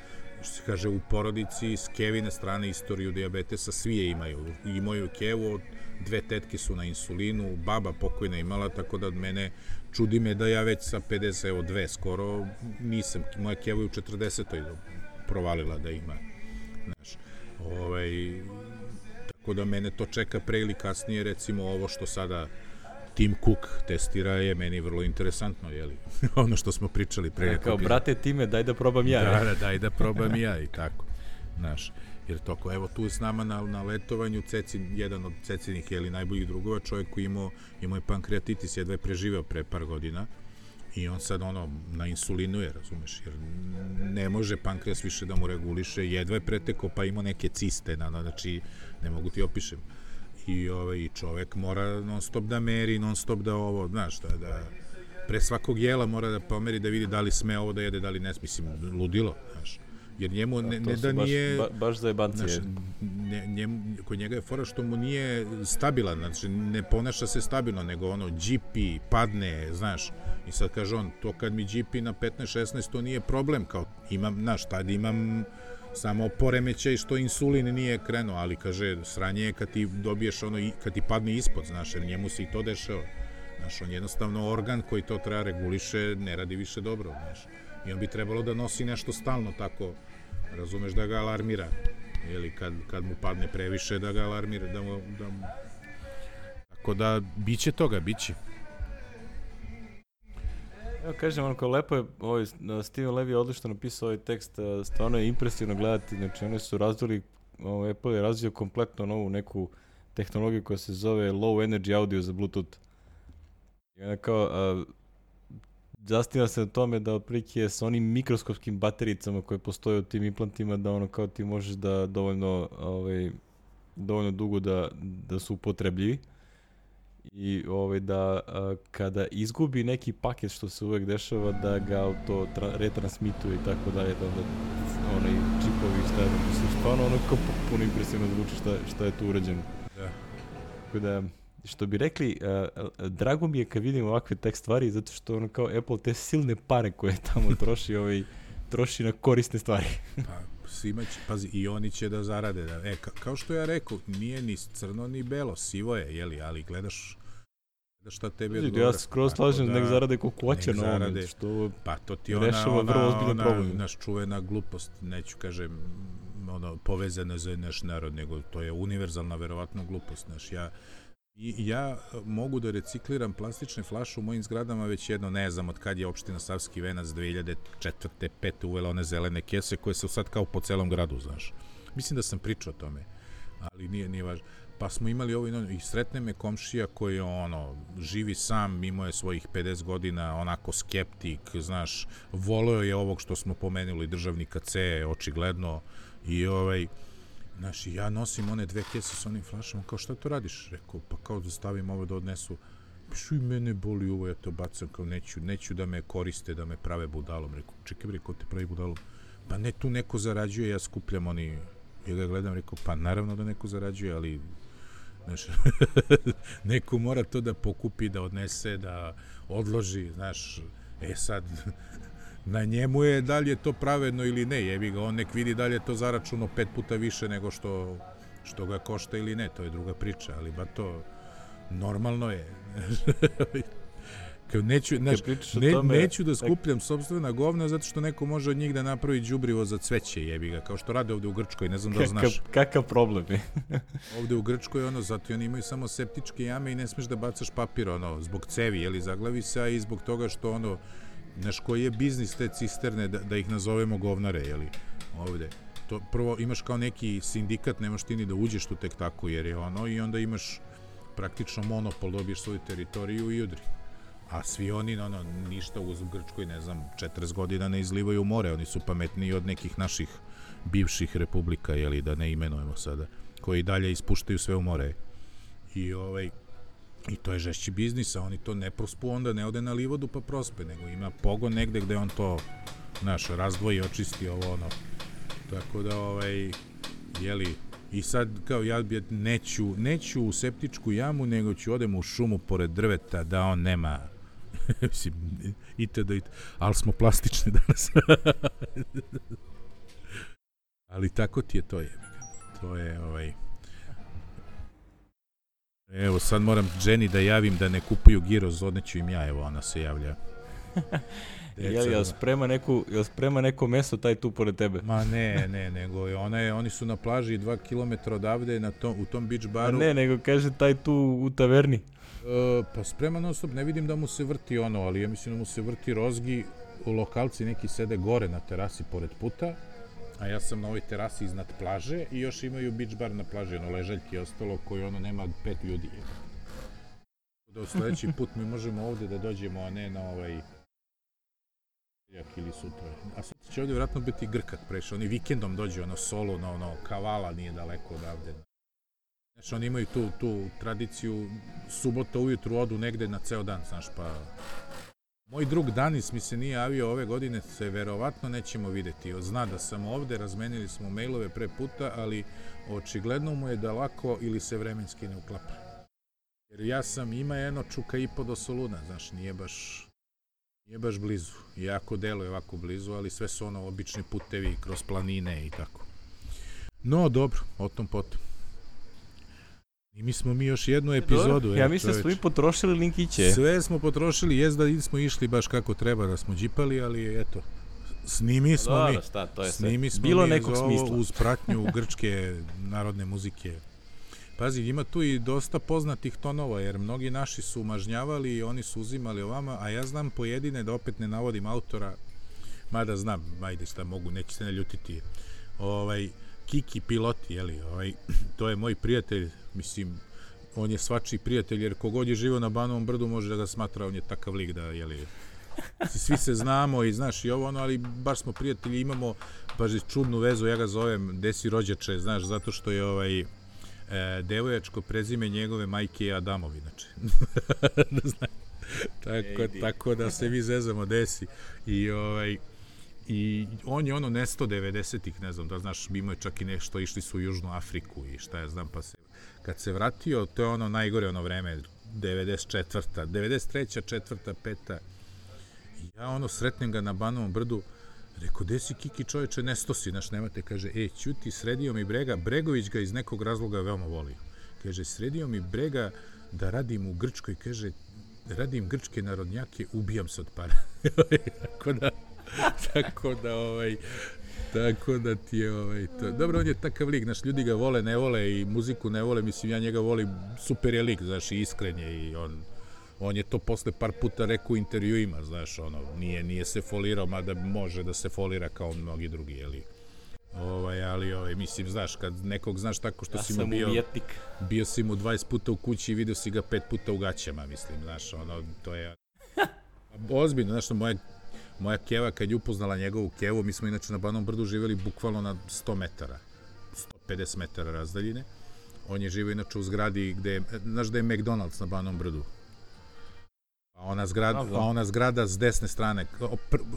što se kaže, u porodici s Kevine strane istoriju dijabetesa, svi je imaju, i moju Kevu, dve tetke su na insulinu, baba pokojna imala, tako da od mene čudi me da ja već sa pedeset, evo dve skoro, nisam, moja Keva je u četrdesetoj provalila da ima, znaš, ovaj, tako da mene to čeka pre ili kasnije, recimo ovo što sada Tim Cook testira je meni vrlo interesantno, jeli, ono što smo pričali pre. Ja, kao, brate Time, daj da probam ja. Da, da, daj da probam ja i tako, znaš. Jer toko, evo tu je s nama na, na letovanju Cecin, jedan od Cecinih ili najboljih drugova, čovjek koji imao, imao je pankreatitis, jedva je preživeo pre par godina i on sad ono na insulinu je, razumeš, jer ne može pankreas više da mu reguliše, jedva je pretekao pa imao neke ciste, na, znači ne mogu ti opišem. I ovaj, čovjek mora non stop da meri, non stop da ovo, znaš, da, da pre svakog jela mora da pomeri da vidi da li sme ovo da jede, da li ne, mislim, ludilo, znaš. Jer njemu ne, ne da nije... Baš, baš za jebancije. Ne, njemu, kod njega je fora što mu nije stabilan, znači ne ponaša se stabilno, nego ono, džipi, padne, znaš. I sad kaže on, to kad mi džipi na petnaest šesnaest, to nije problem, kao imam, znaš, tad imam samo poremećaj što insulin nije krenuo, ali kaže, sranje je kad ti dobiješ ono, kad ti padne ispod, znaš, jer njemu se i to dešava. Znaš, on jednostavno organ koji to treba reguliše, ne radi više dobro, znaš. I on bi trebalo da nosi nešto stalno tako, razumeš, da ga alarmira. Ili kad, kad mu padne previše, da ga alarmira, da mu... Da mu... Tako da, biće toga, biće. Evo kažem, ono kao lepo je, ovaj, Steven Levy je odlično napisao ovaj tekst, stvarno je impresivno gledati, znači oni su razvili, ovaj, Apple je razvio kompletno novu neku tehnologiju koja se zove Low Energy Audio za Bluetooth. I onda kao, a, zastiva se na tome da otprilike sa onim mikroskopskim batericama koje postoje u tim implantima, da ono kao ti možeš da dovoljno, ovaj, dovoljno dugo da, da su upotrebljivi. I ovaj, da a, kada izgubi neki paket, što se uvek dešava, da ga auto tra- retransmituje i tako dalje, da onda onaj čipovi stavljaju. Mislim, stvarno ono kao puno impresivno zvuči šta, šta je tu urađeno. Da. Tako da, što bi rekli, a, a, drago mi je kad vidim ovakve tek stvari, zato što ono kao Apple te silne pare koje tamo troši, ovaj, troši na korisne stvari. Pa, svima će, pazi, i oni će da zarade. Da, e, ka, kao što ja rekao, nije ni crno ni belo, sivo je, jeli, ali gledaš da šta tebi odgovara. Ja skroz slažem, da, nek zarade kokoće na ovome, što pa to ti ona, ona, ona, naš čuvena glupost, neću kažem, ono, povezana za naš narod, nego to je univerzalna, verovatno, glupost, naš, ja I ja mogu da recikliram plastične flaše u mojim zgradama već jedno, ne znam, od kad je opština Savski Venac dve hiljade četvrte pete uvela one zelene kese koje su sad kao po celom gradu, znaš. Mislim da sam pričao o tome, ali nije, nije važno. Pa smo imali ovo i sretne me komšija koji ono, živi sam, imao je svojih pedeset godina, onako skeptik, znaš, voleo je ovog što smo pomenuli, državnika C, očigledno, i ovaj... Znaš, ja nosim one dve kese s onim flašama, kao šta to radiš? Rekao, pa kao da stavim ovo da odnesu. Pišu i mene boli ovo, ja to bacam, kao neću, neću da me koriste, da me prave budalom. Rekao, čekaj bre, ko te pravi budalom? Pa ne, tu neko zarađuje, ja skupljam oni, ja ga gledam, rekao, pa naravno da neko zarađuje, ali znaš, neko mora to da pokupi, da odnese, da odloži, znaš, e sad... Na njemu je da li je to pravedno ili ne, jebi ga, on nek vidi da li je to zaračuno pet puta više nego što, što ga košta ili ne, to je druga priča, ali ba to normalno je. Kao neću, znaš, ne, tome, neću da skupljam sopstvena govna zato što neko može od njih da napravi đubrivo za cveće, jebi ga, kao što rade ovde u Grčkoj, ne znam da znaš. Kakav problem je? Ovde u Grčkoj, ono, zato oni imaju samo septičke jame i ne smeš da bacaš papir, ono, zbog cevi, jeli, zaglavi se, a i zbog toga što, ono, znaš, koji je biznis te cisterne, da, da ih nazovemo govnare, jeli, ovde. To, prvo, imaš kao neki sindikat, nemaš ti ni da uđeš tu tek tako, jer je ono, i onda imaš praktično monopol, dobiješ svoju teritoriju i udri. A svi oni, ono, ništa u Grčkoj, ne znam, četrdeset godina ne izlivaju u more, oni su pametniji od nekih naših bivših republika, jeli, da ne imenujemo sada, koji dalje ispuštaju sve u more. I ovaj... I to je žešći biznis, a oni to ne prospu, onda ne ode na livadu pa prospe, nego ima pogon negde gde on to, znaš, razdvoji, očisti ovo, ono. Tako da, ovaj, jeli, i sad, kao, ja neću, neću u septičku jamu, nego ću odem u šumu pored drveta, da on nema, mislim, itd., itd., ali smo plastični danas. Ali tako ti je to, je. To je, ovaj... Evo, sad moram Jenny da javim da ne kupuju giroz, odneću im ja, evo, ona se javlja. Jel, jel sprema neku, jel sprema neko meso taj tu pored tebe? Ma ne, ne, nego ona je, oni su na plaži dva kilometra odavde na tom, u tom beach baru. A ne, nego kaže taj tu u taverni. E, pa sprema non stop, ne vidim da mu se vrti ono, ali ja mislim da mu se vrti rozgi, u lokalci neki sede gore na terasi pored puta a ja sam na ovoj terasi iznad plaže i još imaju beach bar na plaži, ono ležaljki i ostalo koji ono nema pet ljudi. Da u sledeći put mi možemo ovde da dođemo, a ne na ovaj jak ili sutra. A sutra će ovde vjerojatno biti Grkat prešao, oni vikendom dođe ono solo, na ono Kavala nije daleko odavde. Znači oni imaju tu, tu tradiciju, subota ujutru odu negde na ceo dan, znaš, pa... Moj drug Danis mi se nije javio ove godine, se verovatno nećemo videti. Zna da sam ovde, razmenili smo mailove pre puta, ali očigledno mu je da lako ili se vremenski ne uklapa. Jer ja sam, ima jedno čuka i po do Soluna, znaš, nije baš, nije baš blizu. Iako deluje ovako blizu, ali sve su ono obični putevi kroz planine i tako. No, dobro, o tom potom. I mi smo mi još jednu epizodu. Dobro, ja mislim da smo i potrošili linkiće. Sve smo potrošili, jest da smo išli baš kako treba da smo džipali, ali eto, snimi smo Dobro, mi. Šta, to je snimi smo bilo mi nekog ovo, smisla. Uz pratnju grčke narodne muzike. Pazi, ima tu i dosta poznatih tonova, jer mnogi naši su mažnjavali i oni su uzimali ovama, a ja znam pojedine, da opet ne navodim autora, mada znam, ajde šta mogu, neće se ne ljutiti, ovaj, Kiki Piloti, jeli, ovaj, to je moj prijatelj, mislim, on je svačiji prijatelj, jer kogod je živio na Banovom brdu može da ga smatra, on je takav lik da, jeli, svi se znamo i znaš i ovo ono, ali baš smo prijatelji, imamo baš čudnu vezu, ja ga zovem Desi rođače, znaš, zato što je ovaj, e, devojačko prezime njegove majke je Adamov, inače. tako, tako da se mi zezamo Desi i ovaj, i on je ono nesto devedesetih, ne znam, da znaš, imao je čak i nešto, išli su u Južnu Afriku i šta ja znam, pa se, kad se vratio, to je ono najgore ono vreme, devedeset četvrta, devedeset treća, četvrta, peta, i ja ono sretnem ga na Banovom brdu, rekao, gde si Kiki čoveče, nesto si, znaš, nemate, kaže, e, ćuti, sredio mi Brega, Bregović ga iz nekog razloga veoma volio, kaže, sredio mi Brega da radim u Grčkoj, kaže, radim grčke narodnjake, ubijam se od para, tako da, tako da, ovaj, tako da ti je, ovaj, to. Dobro, on je takav lik, znaš, ljudi ga vole, ne vole i muziku ne vole, mislim, ja njega volim, super je lik, znaš, i iskren je i on, on je to posle par puta rekao u intervjuima, znaš, ono, nije, nije se folirao, mada može da se folira kao mnogi drugi, jeli, ovaj, ali, ovaj, mislim, znaš, kad nekog znaš tako što ja si mu bio, umjetnik. Bio si mu dvadeset puta u kući i vidio si ga pet puta u gaćama, mislim, znaš, ono, to je, ozbiljno, znaš, moje Moja keva, kad je upoznala njegovu kevu, mi smo inače na Banovom brdu živjeli bukvalno na sto metara, sto pedeset metara razdaljine. On je živio inače u zgradi gde je, znaš da je McDonald's na Banovom brdu. A ona zgrada, a ona zgrada s desne strane,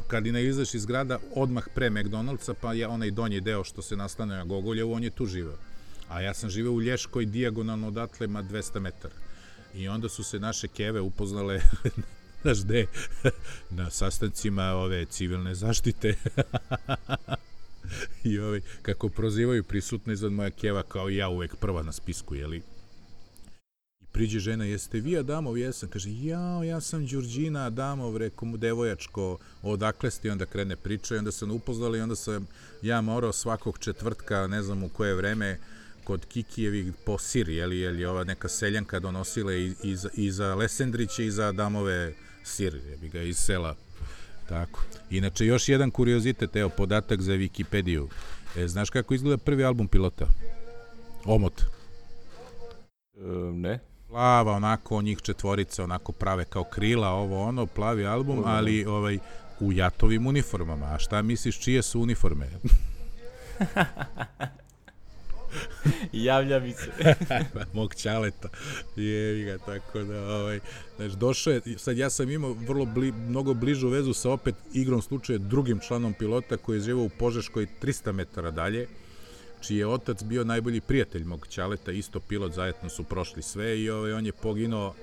kad i ne izaš iz zgrada, odmah pre McDonald'sa, pa je onaj donji deo što se naslanja na Gogoljevu, on je tu živeo. A ja sam živeo u Lješkoj dijagonalno odatle ma dvesta metara. I onda su se naše keve upoznale znaš gde, na sastancima ove civilne zaštite i ove, kako prozivaju prisutne izad moja keva kao ja uvek prva na spisku, jeli? I priđe žena, jeste vi Adamov? Jesam, kaže, jao, ja sam Đurđina Adamov, reko mu devojačko, odakle ste, i onda krene priča i onda sam upoznali i onda sam ja morao svakog četvrtka, ne znam u koje vreme, kod Kikijevih po sir, jeli, jeli ova neka seljanka donosila i, i, za, i za Lesendriće i za Adamove sir, jebi ga, iz sela. Tako. Inače, još jedan kuriozitet, evo, podatak za Wikipediju. E, znaš kako izgleda prvi album Pilota? Omot. E, ne. Plava, onako, njih četvorica, onako prave kao krila, ovo, ono, plavi album, ali ovaj, u jatovim uniformama. A šta misliš, čije su uniforme? Javlja mi se. Mog ćaleta. Jevi ga, tako da, ovaj, znaš, došao je, sad ja sam imao vrlo bli, mnogo bližu vezu sa opet igrom slučaja drugim članom Pilota koji je živao u Požeškoj trista metara dalje, čiji je otac bio najbolji prijatelj mog ćaleta, isto pilot, zajedno su prošli sve i ovaj, on je poginuo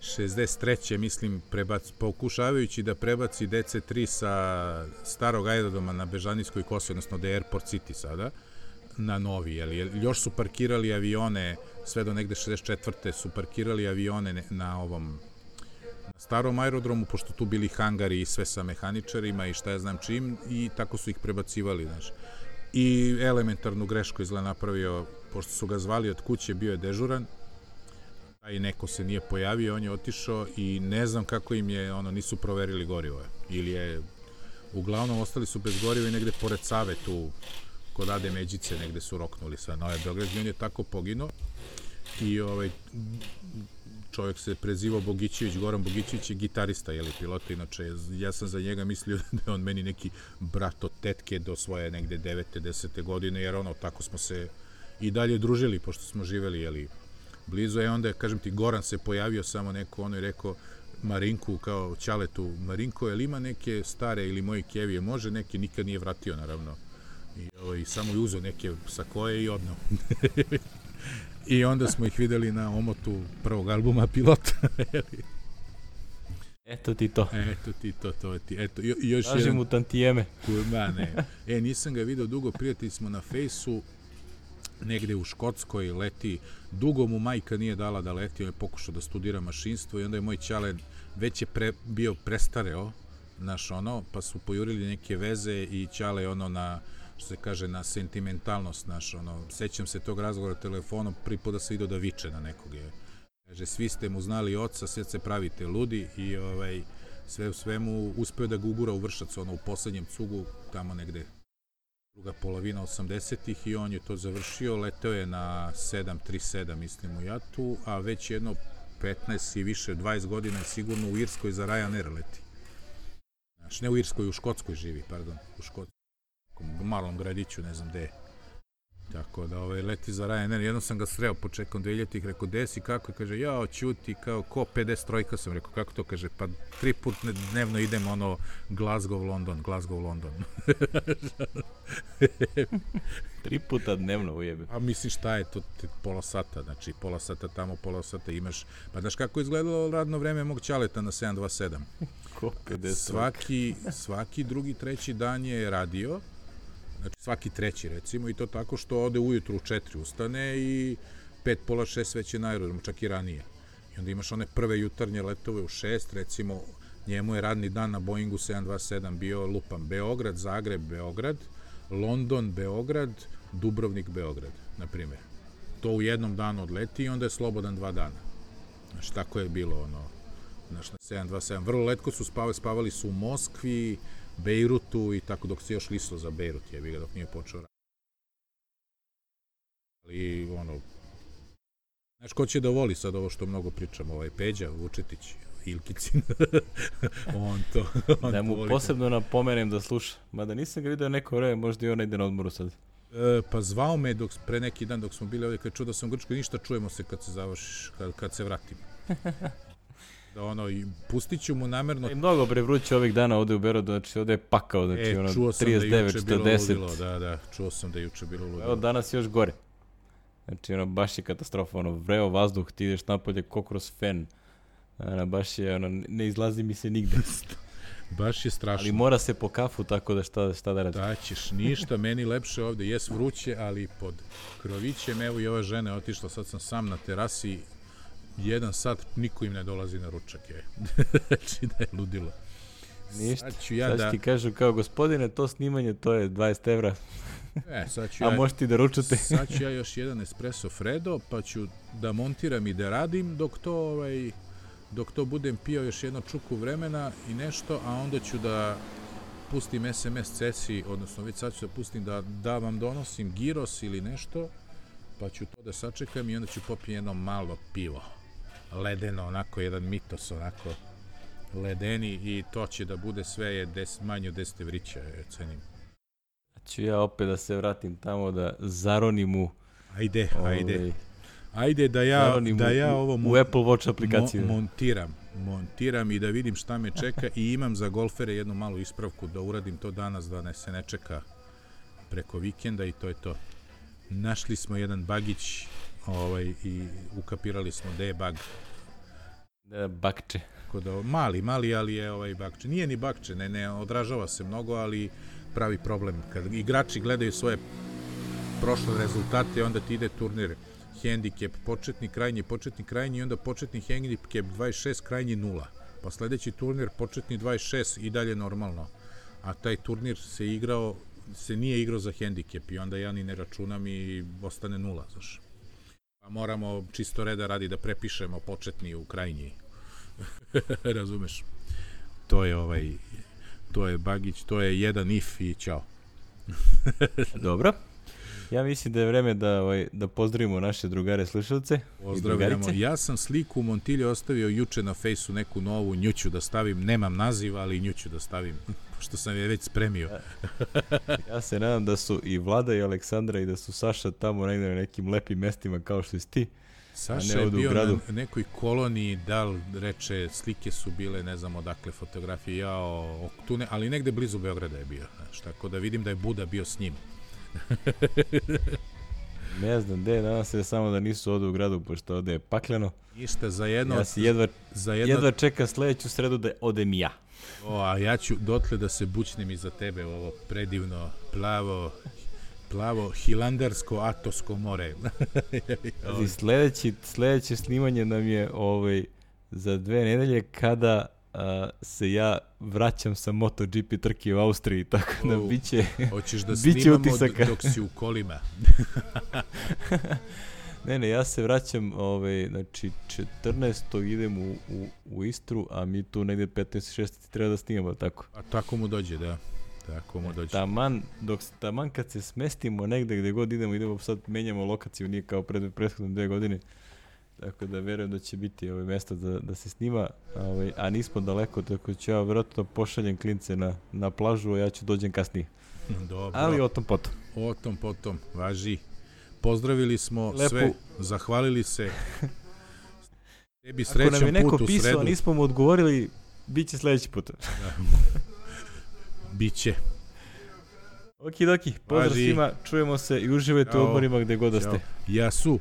šezdeset treće mislim, prebac, pokušavajući da prebaci D C tri sa starog aerodroma na Bežanijskoj kosi, odnosno da je Airport City sada, na novi, jel, još su parkirali avione, sve do negde šezdeset četvrte su parkirali avione na ovom, na starom aerodromu, pošto tu bili hangari i sve sa mehaničarima i šta ja znam čim, i tako su ih prebacivali, znaš. I elementarnu grešku izgleda napravio, pošto su ga zvali od kuće, bio je dežuran, a i neko se nije pojavio, on je otišao i ne znam kako im je, ono, nisu proverili gorivo, ili je, uglavnom ostali su bez goriva i negde pored Save tu, kod Ade Međice negde su roknuli sa Nove Beograd i on je tako poginuo i ovaj čovjek se prezivao Bogićević, Goran Bogićević je gitarista, jeli, pilota, inače ja sam za njega mislio da je on meni neki brat od tetke do svoje negde devete, desete godine, jer ono, tako smo se i dalje družili, pošto smo živeli, jeli, blizu, je onda, kažem ti, Goran se pojavio samo neko, ono je rekao Marinku, kao Ćaletu, Marinko, je li ima neke stare ili moje kevije, može neke, nikad nije vratio, naravno, i, ovaj, samo je uzeo neke sakoje i odneo. I onda smo ih videli na omotu prvog albuma Pilota. Eto ti to. Eto ti to, to je ti. Eto, jo, još Tražim jedan... u tantijeme. Ma ne. E, nisam ga video dugo, prijatelji smo na fejsu, negde u Škotskoj leti. Dugo mu majka nije dala da leti, on je pokušao da studira mašinstvo i onda je moj ćale već je pre, bio prestareo, znaš ono, pa su pojurili neke veze i ćale ono na... što se kaže, na sentimentalnost naš, ono, sećam se tog razgovora telefonom, prvi put da se vidio da viče na nekog je. Kaže, svi ste mu znali oca, sve se pravite ludi i ovaj, sve u svemu uspeo da ga ugura u Vršac, ono, u poslednjem cugu, tamo negde druga polovina osamdesetih i on je to završio, leteo je na sedam tri sedam, mislim, u Jatu, a već jedno petnaest i više, dvadeset godina je sigurno u Irskoj za Ryanair leti. Znaš, ne u Irskoj, u Škotskoj živi, pardon, u Škotskoj. U malom gradiću, ne znam gde. Tako da ovaj, leti za Ryanair. Jednom sam ga sreo početkom dvehiljaditih, rekao, gde si, kako? Kaže, jao, ćuti, kao, ko pedeset trojka sam, rekao, kako to? Kaže, pa tri put dnevno idem, ono, Glasgow, London, Glasgow, London. Tri puta dnevno ujebe. A misliš, šta je to, pola sata, znači, pola sata tamo, pola sata imaš, pa znaš kako je izgledalo radno vreme mog ćaleta na sedam dva sedam? Ko pedeset Svaki, svaki drugi, treći dan je radio, znači svaki treći recimo, i to tako što ode ujutru u četiri ustane i pet, pola šest već je na aerodromu, čak i ranije. I onda imaš one prve jutarnje letove u šest, recimo njemu je radni dan na Boeingu sedam dva sedam bio, lupam, Beograd, Zagreb, Beograd, London, Beograd, Dubrovnik, Beograd, na primjer. To u jednom danu odleti i onda je slobodan dva dana. Znači tako je bilo ono, znači na sedam dva sedam. Vrlo letko su spavali, spavali su u Moskvi, Bejrutu i tako dok se još lislo za Bejrut, jebi ga, dok nije počeo raditi. Ali, ono, znaš, ko će da voli sad ovo što mnogo pričamo, ovaj Peđa Vučetić, Ilkicin, on to, on da mu to posebno napomenem da sluša, mada nisam ga vidio neko vreme, možda i on ide na odmoru sad. E, pa zvao me dok, pre neki dan dok smo bili ovdje, kad čuo da sam u Grčkoj, ništa, čujemo se kad se završiš, kad, kad se vratim. Da ono, i pustit ću mu namerno... I mnogo bre vruće ovih dana ovde u Berodu, znači ovde je pakao, znači e, ono trideset devet četrdeset. Da, da, čuo sam da je juče bilo ludilo. Evo danas još gore. Znači ono, baš je katastrofa, ono, vreo vazduh, ti ideš napolje ko kroz fen. Ono, baš je, ono, ne izlazi mi se nigde. Baš je strašno. Ali mora se po kafu, tako da šta, šta da radi. Da ćeš, ništa, meni lepše ovde, jes vruće, ali pod krovićem, evo i ova žena je otišla, sad sam sam na terasi, jedan sat, niko im ne dolazi na ručak, je. Znači da je ludilo. Ništa, sad ću ja sad da... ti kažu kao, gospodine, to snimanje, to je dvadeset evra. E, sad ću A ja... možete da ručate. Sad ću ja još jedan espresso Fredo, pa ću da montiram i da radim, dok to, ovaj, dok to budem pio još jedno čuku vremena i nešto, a onda ću da pustim es em es cesi, odnosno već sad ću da pustim da, da vam donosim giros ili nešto, pa ću to da sačekam i onda ću popiti jedno malo pivo. Ledeno, onako, jedan mitos, onako, ledeni i to će da bude sve je des, manje od deset evrića, je, cenim. Ću ja opet da se vratim tamo da zaronim u... Ajde, ovaj, ajde. Ajde da ja, da ja ovo u, u Apple Watch aplikaciju. Mo, montiram, montiram i da vidim šta me čeka i imam za golfere jednu malu ispravku da uradim to danas, da ne se ne čeka preko vikenda i to je to. Našli smo jedan bagić ovaj, i ukapirali smo da je bag. Da, bakče. Da, mali, mali, ali je ovaj bakče. Nije ni bakče, ne, ne odražava se mnogo, ali pravi problem. Kad igrači gledaju svoje prošle rezultate, onda ti ide turnir hendikep, početni, krajnji, početni, krajnji i onda početni hendikep dvadeset šest, krajnji nula. Pa sledeći turnir, početni dvadeset šest i dalje normalno. A taj turnir se igrao, se nije igrao za hendikep i onda ja ni ne računam i ostane nula, znaš. Pa moramo čisto reda radi da prepišemo početni u krajnji. Razumeš? To je ovaj, to je bagić, to je jedan if i ćao. Dobro. Ja mislim da je vreme da, ovaj, da pozdravimo naše drugare slušalce. Pozdravljamo. Ja sam sliku u Montilje ostavio juče na fejsu, neku novu, nju ću da stavim. Nemam naziv, ali nju ću da stavim, pošto sam je već spremio. Ja se nadam da su i Vlada i Aleksandra i da su Saša tamo negde na nekim lepim mestima kao što si ti. Saša je bio na nekoj koloniji, da li reče, slike su bile, ne znam odakle fotografije, jao, tu ne, ali negde blizu Beograda je bio, znaš, tako da vidim da je Buda bio s njim. Ne znam gde, nadam se samo da nisu ovde u gradu, pošto ovde je pakleno. Ništa, za jedno... Ja si jedva, za jedno, jedva čeka sledeću sredu da odem ja. O, a ja ću dotle da se bućnem iza tebe, ovo predivno, plavo... plavo hilandarsko Atosko more. Sledeći, sledeće snimanje nam je ovaj, za dve nedelje kada a, se ja vraćam sa MotoGP trke u Austriji, tako da oh, biće hoćeš da biće snimamo utisaka. Dok si u kolima. Ne, ne, ja se vraćam, ovaj, znači četrnaestog idem u, u, u Istru, a mi tu negde petnaestog šestog treba da snimamo, tako? A tako mu dođe, da. Tako mu dođe. Taman, dok, taman kad se smestimo negde gde god idemo, idemo sad menjamo lokaciju, nije kao pred prethodne dve godine, tako da verujem da će biti ovaj mesta da, da se snima, ovaj, a nismo daleko, tako ću ja vjerojatno pošaljem klince na, na plažu, a ja ću dođem kasnije. Dobro. Ali o tom potom. O tom potom, važi. Pozdravili smo Lepo. Sve, zahvalili se. Tebi Ako nam je neko put u pisao, sredu. nismo mu odgovorili, bit će sledeći put. Da. Biće. Okidoki, pozdrav svima, čujemo se i uživajte u odmorima gde god da ste. Ja su.